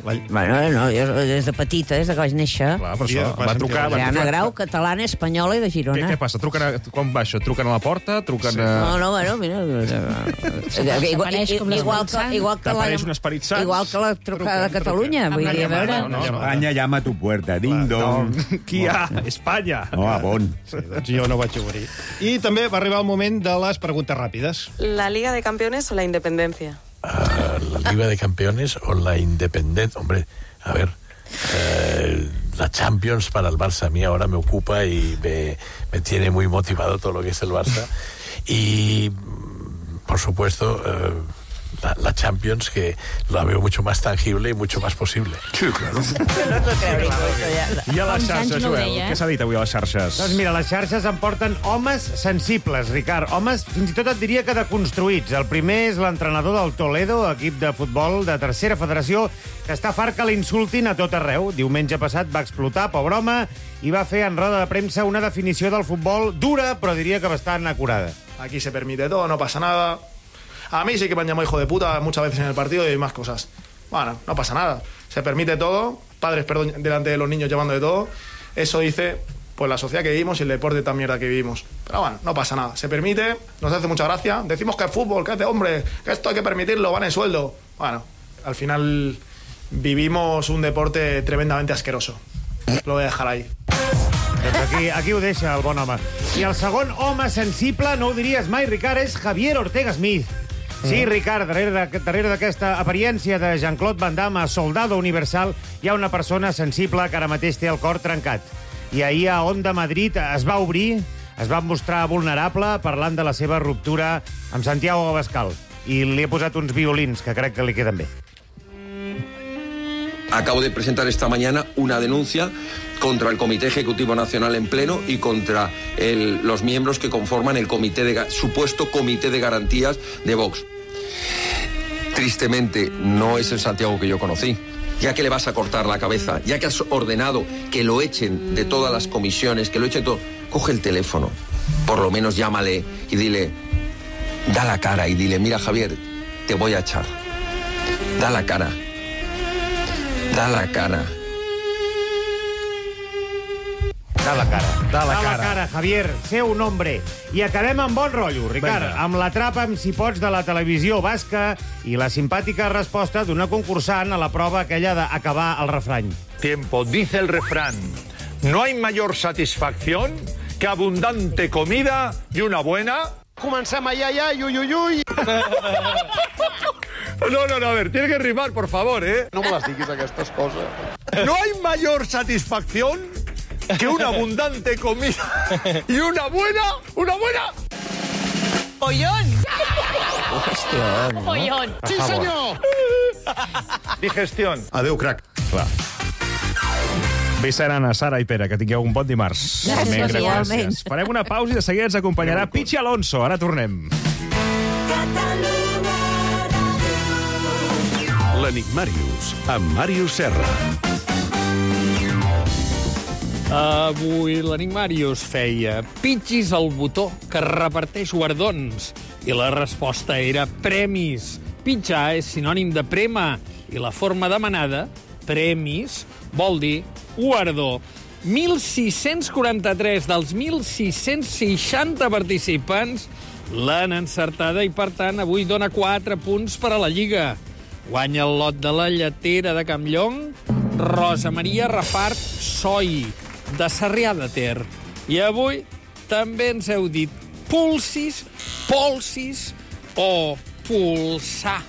Bueno, no, jo des de petita, des que vaig néixer. Clar, per això. Va trucar... Ana Grau, catalana, espanyola i de Girona. Què passa? Quan va això? Truquen a la porta? Truquen a... No, bueno, mira... T'apareix un esperit sant? Igual que la trucada de Catalunya, vull dir, a veure... Espanya llama a tu puerta, ding-dong. Qui hi ha? Espanya. No, a Bon. Sí, doncs jo no vaig obrir. I també va arribar el moment de les preguntes ràpides. ¿La Liga de Campeones o la Independencia? La Liga de Campeones o la Independencia. Hombre, a ver, la Champions para el Barça a mí ahora me ocupa y me tiene muy motivado todo lo que es el Barça. Y, por supuesto, la Champions, que la veo mucho más tangible y mucho más posible. Sí, claro. I a les xarxes, Joel? Què s'ha dit avui a les xarxes? Doncs mira, les xarxes em porten homes sensibles, Ricard. Homes, fins i tot et diria que deconstruïts. El primer és l'entrenador del Toledo, equip de futbol de tercera federació, que està fart que l'insultin a tot arreu. Diumenge passat va explotar, pobre home, i va fer en roda de premsa una definició del futbol dura, però diria que bastant acurada. Aquí se permite todo, no pasa nada. A mí sí que me han llamado hijo de puta muchas veces en el partido y más cosas. Bueno, no pasa nada. Se permite todo, padres, perdón, delante de los niños llevando de todo. Eso dice, pues, la sociedad que vivimos y el deporte tan mierda que vivimos. Pero bueno, no pasa nada. Se permite, nos hace mucha gracia. Decimos que es fútbol, que es de hombre, que esto hay que permitirlo, van en sueldo. Bueno, al final vivimos un deporte tremendamente asqueroso. Lo voy a dejar ahí. Doncs aquí ho deixa el bon home. I el segon home sensible, no ho diries mai, Ricard, és Javier Ortega Smith. Sí, Ricard, darrere d'aquesta apariència de Jean-Claude Van Damme a Soldado Universal hi ha una persona sensible que ara mateix té el cor trencat. I ahir a Onda Madrid es va obrir, es va mostrar vulnerable parlant de la seva ruptura amb Santiago Abascal. I li he posat uns violins que crec que li queden bé. Acabo de presentar esta mañana una denuncia contra el Comité Ejecutivo Nacional en pleno y contra los miembros que conforman el supuesto Comité de Garantías de Vox. Tristemente, no es el Santiago que yo conocí. Ya que le vas a cortar la cabeza, ya que has ordenado que lo echen de todas las comisiones, que lo echen todo, coge el teléfono, por lo menos llámale y dile, da la cara y dile, mira, Javier, te voy a echar. Da la cara. Da la cara. Da la cara. Da la cara, Javier. Sé un hombre. I acabem amb bon rotllo, Ricard. Amb l'Atrapa'm si pots de la televisió basca i la simpàtica resposta d'una concursant a la prova aquella d'acabar el refrany. Tiempo. Dice el refrán. No hay mayor satisfacción que abundante comida y una buena... Comencem a uy, uy, uy. No, a ver, tiene que rimar, por favor, ¿eh? No me las diguis, aquestes coses. No hay mayor satisfacción que una abundante comida y una buena... ¡Pollón! Hòstia, no? ¡Pollón! Sí, senyor! Digestión. Adéu, crac. Clar. Vicent, Anna, Sara i Pere, que tingueu un bon dimarts. Gràcies. Farem una pausa i de seguida ens acompanyarà Pichi Alonso. Ara tornem. L'Enigmàrius, amb Màrius Serra. Avui l'Enigmàrius feia pitxis al botó que reparteix guardons i la resposta era premis. Pitjar és sinònim de prema i la forma demanada, premis, vol dir guardó. 1.643 dels 1.660 participants l'han encertada i, per tant, avui dona 4 punts per a la Lliga. Guanya el lot de la lletera de Campllong, Rosa Maria Rafart Soi, de Sarrià de Ter. I avui també ens heu dit pulsis, polsis o pulsar.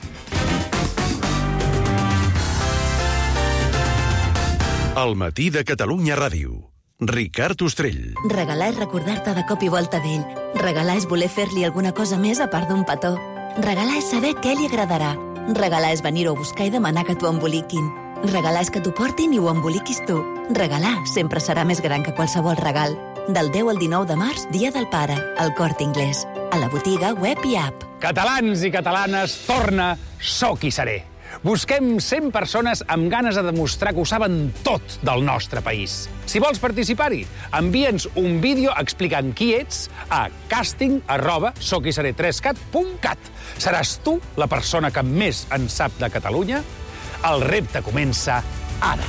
El matí de Catalunya Ràdio. Ricard Ostrell. Regalar és recordar-te de cop i volta d'ell. Regalar és voler fer-li alguna cosa més a part d'un petó. Regalar és saber què li agradarà. Regalar és venir-ho a buscar i demanar que t'ho emboliquin. Regalar és que t'ho portin i ho emboliquis tu. Regalar sempre serà més gran que qualsevol regal. Del 10 al 19 de març, Dia del Pare, al Corte Inglés. A la botiga, web i app. Catalans i catalanes, torna Soc i Seré. Busquem 100 persones amb ganes de demostrar que ho saben tot del nostre país. Si vols participar-hi, envia'ns un vídeo explicant qui ets a casting@soquiseré3cat.cat. Seràs tu la persona que més en sap de Catalunya? El repte comença ara.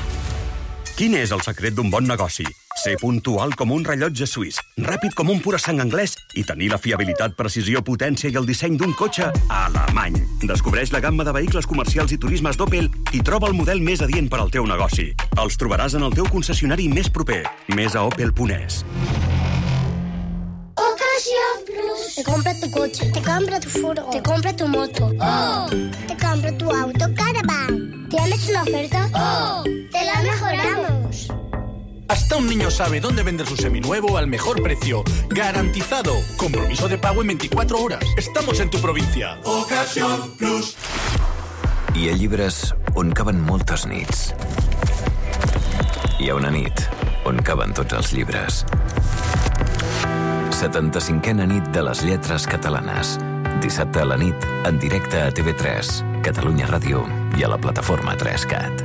Quin és el secret d'un bon negoci? Ser puntual com un rellotge suís, ràpid com un pura sang anglès i tenir la fiabilitat, precisió, potència i el disseny d'un cotxe alemany. Descobreix la gamma de vehicles comercials i turismes d'Opel i troba el model més adient per al teu negoci. Els trobaràs en el teu concessionari més proper. Més a opel.es. Ocasión Plus. Te compra tu coche, te compra tu furgo, te compra tu moto. ¡Oh! Te compra tu auto Caravan. ¿Tienes una oferta? ¡Oh! ¡Te la mejoramos! Hasta un niño sabe dónde vender su seminuevo al mejor precio. Garantizado. Compromiso de pago en 24 horas. Estamos en tu provincia. Ocasión Plus. Hi ha llibres on caben moltes nits. Hi ha una nit on caben tots els llibres. 75a nit de les lletres catalanes. Dissabte a la nit, en directe a TV3, Catalunya Ràdio i a la plataforma 3CAT.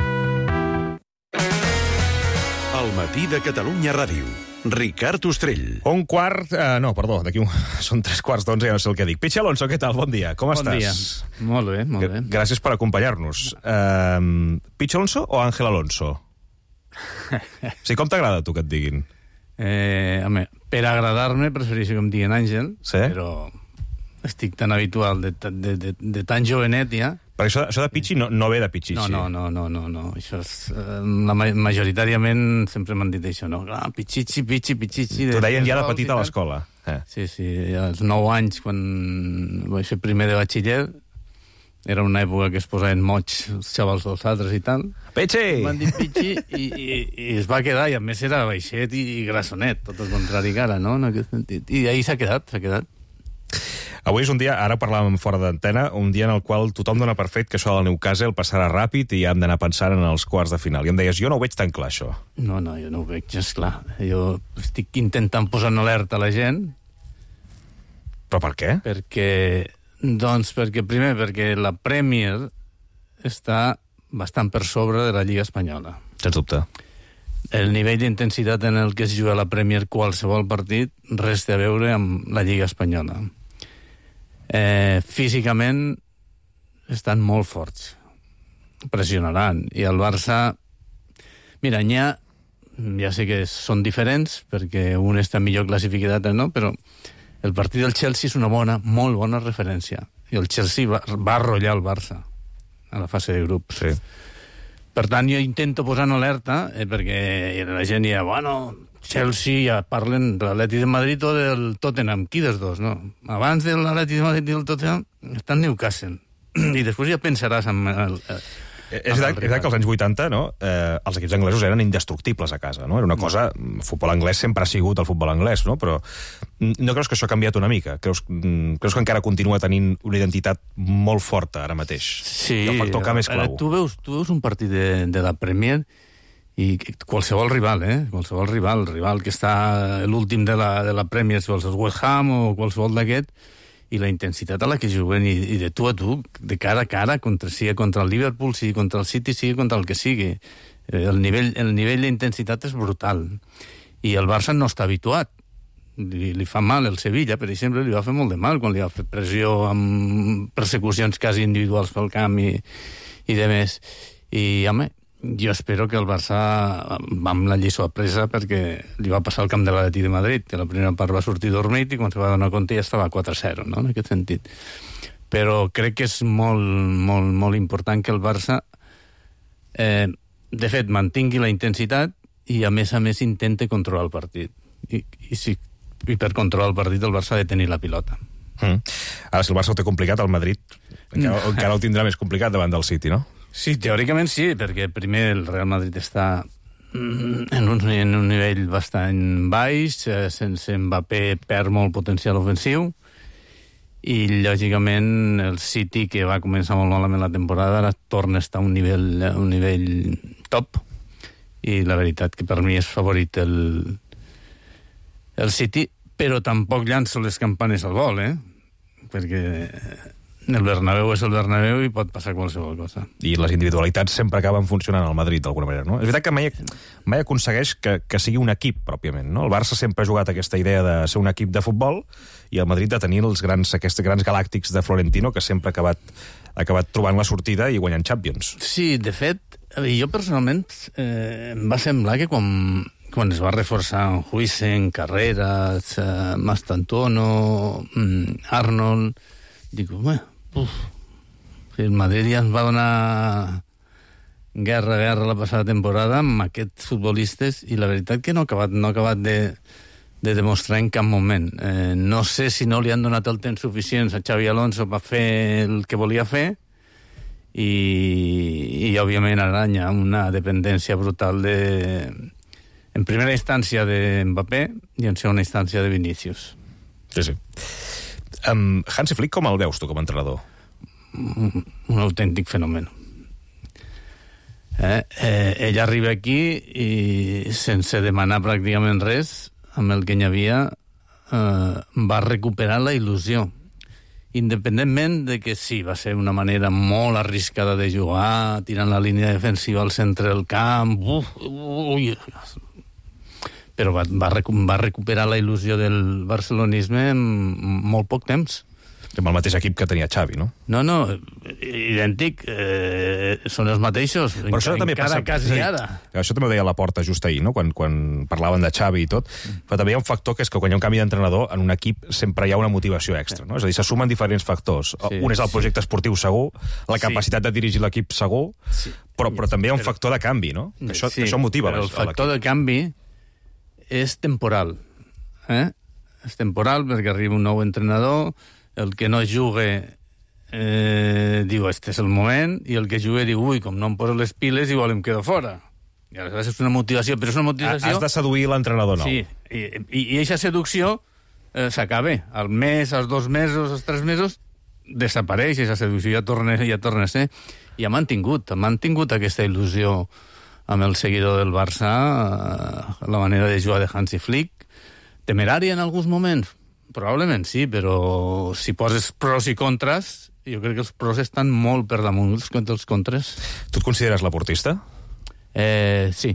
El matí de Catalunya Ràdio. Ricard Ostrell. Són 3 quarts d'11, ja no sé el que dic. Pichi Alonso, què tal? Bon dia, com estàs? Bon dia. Molt bé, molt bé. Gràcies per acompanyar-nos. Pichi Alonso o Ángel Alonso? Sí, com t'agrada tu que et diguin? Home, per agradar-me prefereixo que em diguin Àngel, sí? Però estic tan habitual de tan jovenet ja. Perquè això de Pichi no ve de Pichichi. No. Això és, majoritàriament sempre m'han dit això, no? Pichichi. T'ho deien ja de petit a l'escola. Sí, als 9 anys, quan vaig fer primer de batxiller, era una època que es posaven mots els xavals dels altres i tal. Pichi! M'han dit Pichi i es va quedar, i a més era baixet i grassonet, tot el contrari que ara, no? En aquest sentit. I ahir s'ha quedat. Avui és un dia, ara parlàvem fora d'antena, un dia en el qual tothom dona per fet que això del Newcastle passarà ràpid i ja hem d'anar pensant en els quarts de final. I em deies, jo no ho veig tan clar, això. No, jo no ho veig, és clar. Jo estic intentant posar en alerta a la gent. Però per què? Perquè la Premier està bastant per sobre de la Lliga Espanyola. Sens dubte. El nivell d'intensitat en el que es juga la Premier qualsevol partit res té a veure amb la Lliga Espanyola. Físicament estan molt forts. Pressionaran. I el Barça... Mira, ja sé que són diferents, perquè un està millor classificat, no? Però el partit del Chelsea és una molt bona referència. I el Chelsea va arrollar el Barça a la fase de grups. Sí. Per tant, jo intento posar en alerta, perquè la gent ja, Chelsea, ja parlen de l'Atlètic de Madrid o del Tottenham. Qui dels dos, no? Abans de l'Atlètic de Madrid i del Tottenham està el Newcastle. I després ja pensaràs en És veritat que als anys 80 els equips anglesos eren indestructibles a casa, no? Era una cosa... El futbol anglès sempre ha sigut el futbol anglès, no? Però no creus que això ha canviat una mica? Creus que encara continua tenint una identitat molt forta ara mateix? Sí. I el factor camp és clau. Tu veus un partit de la Premier i qualsevol rival, el rival que està l'últim de la Premier, si vols el West Ham o qualsevol d'aquest, i la intensitat a la que juguen i de tu a tu, de cara a cara, sigui contra el Liverpool, sigui contra el City, sigui contra el que sigui. El nivell d'intensitat és brutal. I el Barça no està habituat. Li fa mal el Sevilla, per exemple, li va fer molt de mal quan li va fer pressió amb persecucions quasi individuals pel camp i de més. I, home, jo espero que el Barça va amb la lliçó apresa, perquè li va passar al camp de l'Atlètic de Madrid, que la primera part va sortir dormit i quan se va donar compte ja estava 4-0, no? En aquest sentit. Però crec que és molt important que el Barça de fet mantingui la intensitat i a més intente controlar el partit. I per controlar el partit el Barça ha de tenir la pilota. Ara, si el Barça ho té complicat, el Madrid encara ho tindrà més complicat davant del City, no? Sí, teòricament sí, perquè primer el Real Madrid està en un nivell bastant baix, sense Mbappé perd molt potencial ofensiu, i lògicament el City, que va començar molt malament la temporada, ara torna a estar a un nivell top, i la veritat que per mi és favorit el City, però tampoc llanço les campanes al vol, perquè El Bernabéu és el Bernabéu i pot passar qualsevol cosa. I les individualitats sempre acaben funcionant al Madrid, d'alguna manera, no? És veritat que mai aconsegueix que sigui un equip, pròpiament, no? El Barça sempre ha jugat aquesta idea de ser un equip de futbol i el Madrid de tenir aquests grans galàctics de Florentino que sempre ha acabat trobant la sortida i guanyant Champions. Sí, de fet, jo personalment em va semblar que quan es va reforçar Huijsen, Carreras, Mastantuono, Arnold, dic, el Madrid ja ens va donar guerra la passada temporada amb aquests futbolistes i la veritat que no ha acabat de demostrar en cap moment. No sé si no li han donat el temps suficient a Xavi Alonso per fer el que volia fer i òbviament ara hi ha una dependència brutal en primera instància de Mbappé i en segona instància de Vinícius. Sí. Hansi Flick, com el veus tu com a entrenador? Un autèntic fenomen. Ell arriba aquí i sense demanar pràcticament res, amb el que hi havia, va recuperar la il·lusió. Independentment de que sí, va ser una manera molt arriscada de jugar, tirant la línia defensiva al centre del camp, però va recuperar la il·lusió del barcelonisme en molt poc temps. Amb el mateix equip que tenia Xavi, no? No, idèntic, són els mateixos, però això també encara quasi ara. Això també ho deia Laporta just ahir, no? Quan parlaven de Xavi i tot, però també hi ha un factor que és que quan hi ha un canvi d'entrenador, en un equip sempre hi ha una motivació extra, no? És a dir, se sumen diferents factors. Un és el projecte esportiu segur, la capacitat de dirigir l'equip segur, però també hi ha un factor de canvi, no? Això motiva l'equip. El factor de canvi és temporal. És temporal perquè arriba un nou entrenador, el que no juga diu, este és el moment, i el que juga diu, com no em poso les piles, igual em quedo fora. I aleshores és una motivació, però és una motivació... Has de seduir l'entrenador nou. Sí, i aquesta seducció s'acaba. Al mes, als 2 mesos, als 3 mesos, desapareix aquesta seducció, ja torna a ser. I ha mantingut aquesta il·lusió amb el seguidor del Barça, la manera de jugar de Hansi Flick. Temerària en alguns moments? Probablement sí, però si poses pros i contres, jo crec que els pros estan molt per damunt dels contres. Tu et consideres laportista? Sí.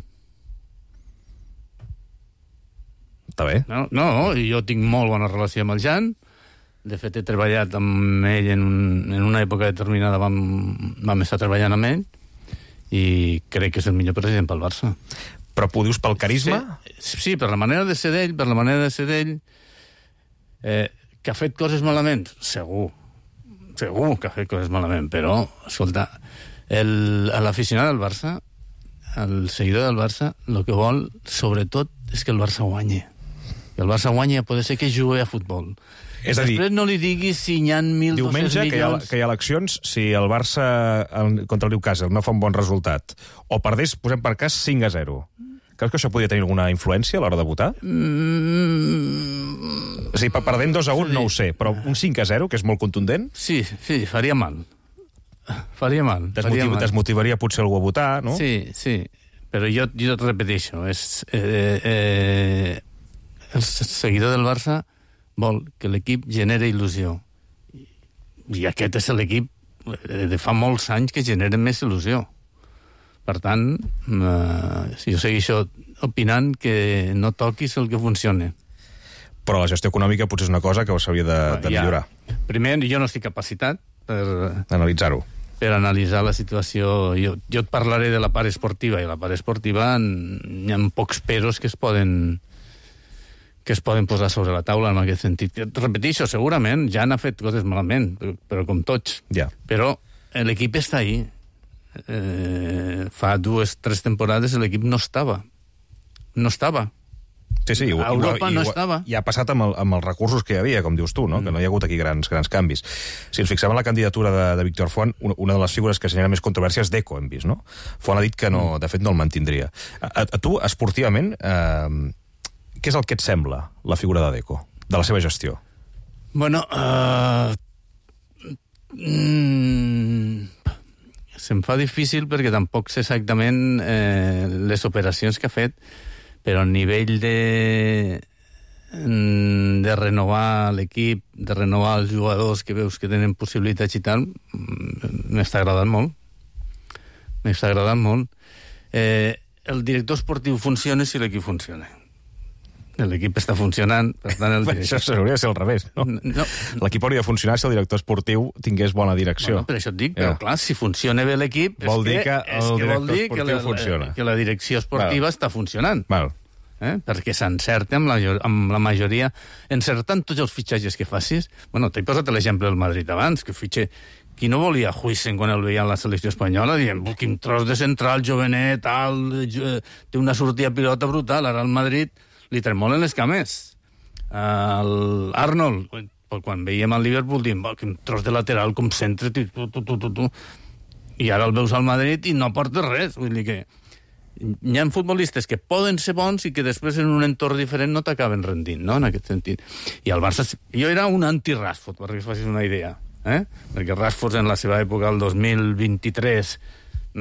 Està bé. No, jo tinc molt bona relació amb el Jan. De fet, he treballat amb ell en una època determinada, vam estar treballant amb ell, i crec que és el millor president pel Barça. Però ho dius pel carisma? Sí, per la manera de ser d'ell, que ha fet coses malament? Segur que ha fet coses malament, però, escolta, l'aficionat del Barça, el seguidor del Barça, el que vol, sobretot, és que el Barça guanyi. Que el Barça guanyi a poder ser que jugui a futbol. És a dir, després no li diguis si hi ha 1.200 milions... Diumenge, que hi ha eleccions, si el Barça contra el Newcastle no fa un bon resultat, o perdés, posem per cas 5-0. Creus que això podria tenir alguna influència a l'hora de votar? O sigui, perdent 2-1 no ho sé, però un 5-0, que és molt contundent... Sí, faria mal. Desmotivaria potser algú a votar, no? Sí, però jo et repeteixo, el seguidor del Barça vol que l'equip genere il·lusió. I aquest és l'equip de fa molts anys que genera més il·lusió. Per tant, jo segueixo opinant que no toquis el que funciona. Però la gestió econòmica potser és una cosa que s'hauria de millorar. Primer, jo no estic capacitat per analitzar-ho. Per analitzar la situació. Jo et parlaré de la part esportiva, i la part esportiva hi ha pocs peros que es poden posar sobre la taula en aquest sentit. Repeteixo, segurament ja n'ha fet coses malament, però com tots. Però l'equip està ahí. Fa 2-3 temporades l'equip no estava. Sí, a Europa no estava. I ha passat amb els recursos que hi havia, com dius tu, no? Que no hi ha hagut aquí grans canvis. Si ens fixem en la candidatura de Víctor Font, una de les figures que genera més controvèrsia és Deco, hem vist, no? Font ha dit que no, de fet no el mantindria. A tu, esportivament, què és el que et sembla la figura de Deco, de la seva gestió? Bueno, se'm fa difícil perquè tampoc sé exactament les operacions que ha fet, però a nivell de renovar l'equip, de renovar els jugadors que veus que tenen possibilitats i tal, m'està agradant molt. M'està agradant molt. El director esportiu funciona si l'equip funciona. L'equip està funcionant, per tant... Això hauria de ser al revés, no? L'equip hauria de funcionar si el director esportiu tingués bona direcció. Bueno, per això et dic, però clar, si funciona bé l'equip... Vol dir que el director esportiu funciona. Que la direcció esportiva està funcionant. Val. Perquè s'encerta amb la majoria, encertant tots els fitxatges que facis. Bueno, t'he posat l'exemple del Madrid abans, que fitxa... Qui no volia Huijsen quan el veia a la selecció espanyola, dient, quin tros de central, jovenet, tal, té una sortida pilota brutal, ara al Madrid li tremolen les cames. L'Arnold, quan veiem el Liverpool, dient, quin tros de lateral, com centre, i ara el veus al Madrid i no aporta res. Vull dir que hi ha futbolistes que poden ser bons i que després en un entorn diferent no t'acaben rendint, no?, en aquest sentit. I el Barça... Jo era un anti-Rashford, perquè us facis una idea. Perquè Rashford en la seva època, el 2023,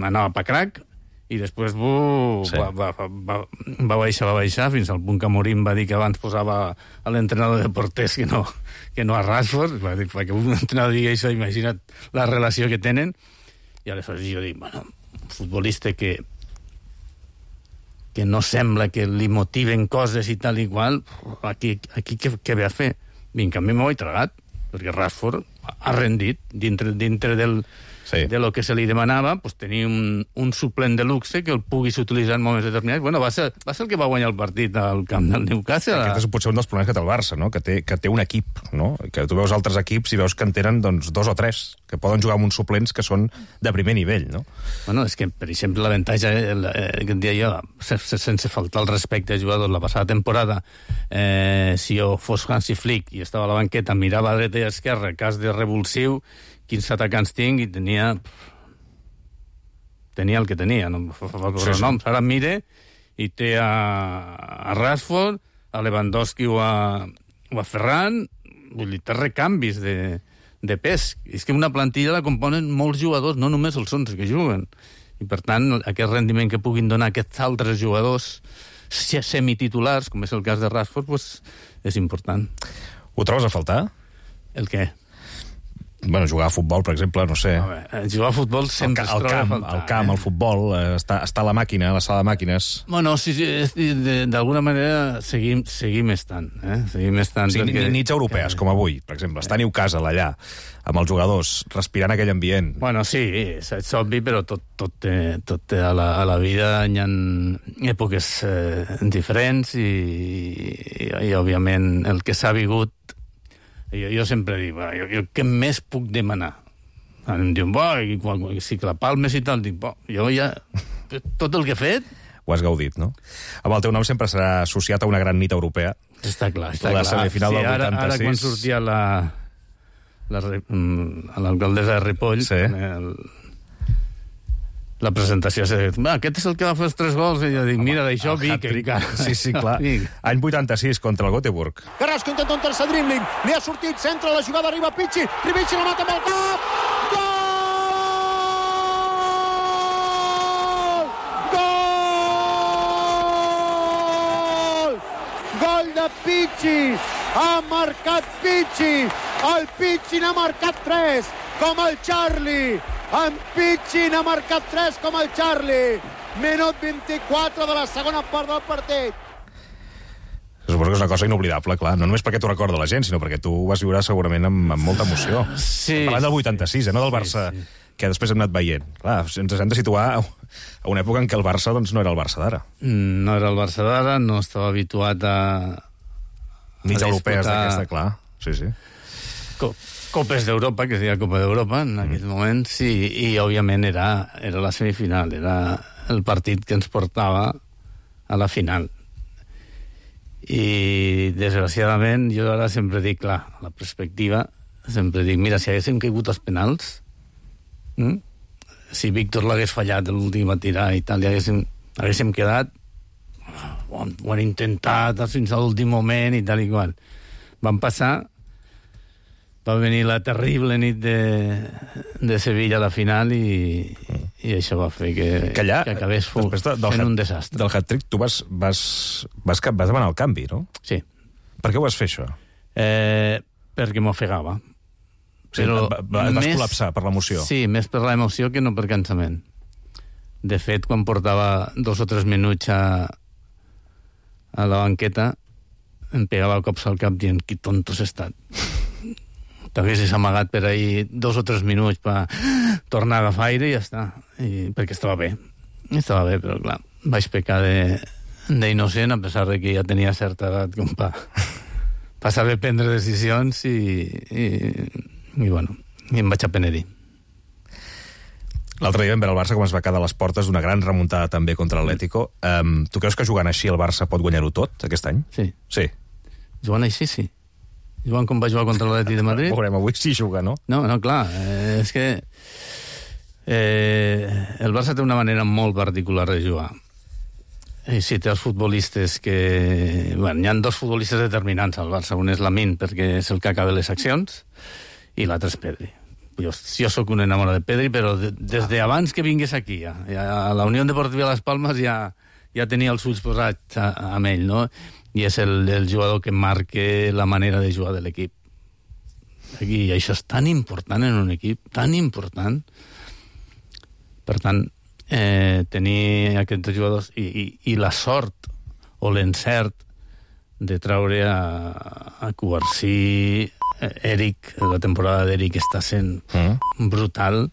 anava pa crac i després va baixar fins al punt que Amorim va dir que abans posava a l'entrenador de porters que no a Rashford. Va dir, perquè un entrenador digui això, imagina't la relació que tenen. I aleshores jo dic, bueno, un futbolista que no sembla que li motiven coses i tal i qual, aquí què ve a fer? I en canvi m'ho he tragat, perquè Rashford ha rendit dintre de lo que se li demanava, pues, tenir un suplent de luxe que el puguis utilitzar en moments determinats. Bueno, va ser el que va guanyar el partit al camp del Newcastle. Aquest és potser un dels problemes que té el Barça, no? Que té un equip, no? Que tu veus altres equips i veus que en tenen doncs, 2 o 3, que poden jugar amb uns suplents que són de primer nivell, no? Bueno, és que, per exemple, l'avantatge que et dia jo, sense faltar el respecte als jugadors, la passada temporada, si jo fos Hansi Flick i estava a la banqueta, mirava a dreta i a esquerra, cas de revulsiu, quins atacants tinc, i tenia el que tenia, no fa posar noms. Ara mire i té a Rashford, a Lewandowski o a Ferran, vull dir, té recanvis de pes. És que una plantilla la componen molts jugadors, no només els 11 que juguen. I per tant, aquest rendiment que puguin donar aquests altres jugadors semititulars, com és el cas de Rashford, pues, és important. Ho trobes a faltar? El què? Bueno, jugar a futbol, per exemple, no sé. Jugar a futbol sempre es troba a faltar. El camp, el futbol, està a la màquina, a la sala de màquines. Bueno, sí, d'alguna manera seguim estant. Seguim estant. Sí, nits europees, com avui, per exemple. Està a Newcastle, allà, amb els jugadors, respirant aquell ambient. Bueno, sí, és obvi, però tot a la vida hi ha èpoques diferents i òbviament, el que s'ha vigut. Jo sempre dic, jo què més puc demanar? Em diuen, si que la palmes i tal, dic, jo ja, tot el que he fet... Ho has gaudit, no? Amb el teu nom sempre serà associat a una gran nit europea. Està clar, està clar. La semifinal del 86. Ara quan sortia l'alcaldessa de Ripoll, la presentació, aquest és el que va fer els 3 gols, i jo dic, mira, d'això Vic encara. Sí, clar. Any 86 contra el Göteborg. Carrasco intenta un tercer dribbling, li ha sortit, centra la jugada, arriba Pichi, Ribici la mata amb el cap, gol de Pichi, ha marcat Pichi, el Pichi n'ha marcat 3, com el Charlie. En Pichi n'ha marcat 3 com el Charlie. Minut 24 de la segona part del partit. Suposo que és una cosa inoblidable, clar. No només perquè t'ho recorda la gent, sinó perquè tu ho vas viure segurament amb molta emoció. Sí. Parlant del 86, no del Barça, que després hem anat veient. Clar, ens hem de situar a una època en què el Barça doncs, no era el Barça d'ara. No era el Barça d'ara, no estava habituat a nits europees d'aquesta, clar. Sí. Copes d'Europa, que es deia Copa d'Europa en aquell moment, sí, i òbviament era la semifinal, era el partit que ens portava a la final. I desgraciadament jo ara sempre dic, clar, la perspectiva, sempre dic, mira, si haguéssim caigut als penals, si Víctor l'hagués fallat l'últim a tirar i tal, i haguéssim quedat, ho han intentat fins a l'últim moment i tal i qual. Van passar. Va venir la terrible nit de Sevilla a la final i això va fer que acabés fent un desastre. Del hat-trick tu vas demanar el canvi, no? Sí. Per què ho vas fer, això? Perquè m'ofegava. Però vas col·lapsar per l'emoció. Sí, més per l'emoció que no per cansament. De fet, quan portava 2 o 3 minuts a la banqueta, em pegava cops al cap dient, qui tonto has estat. T'haguessis amagat per ahir 2 o 3 minuts per tornar a agafar aire i ja està. Perquè estava bé. Estava bé, però clar, vaig pecar d'innocent, a pesar de que ja tenia certa edat com per saber prendre decisions i bueno, em vaig apenedir. L'altre dia vam veure el Barça com es va quedar a les portes d'una gran remuntada també contra l'Atlético. Tu creus que jugant així el Barça pot guanyar-ho tot aquest any? Sí. Jugant així, sí. Jugant com va jugar contra l'Atlètic de Madrid. Veurem, avui sí juga, no? No, clar, és que el Barça té una manera molt particular de jugar. Si té els futbolistes que... Bueno, hi ha 2 futbolistes determinants al Barça. Un és Lamine, perquè és el que acaba les accions, i l'altre és Pedri. Jo sóc un enamorat de Pedri, però des d'abans que vingués aquí, a la Unió Deportiva Las Palmas ja tenia els ulls posats amb ell, no? I és el jugador que marca la manera de jugar de l'equip. I això és tan important en un equip, tan important. Per tant, tenir aquests jugadors i la sort o l'encert de traure a Cubarsí, Eric, la temporada d'Eric està sent brutal,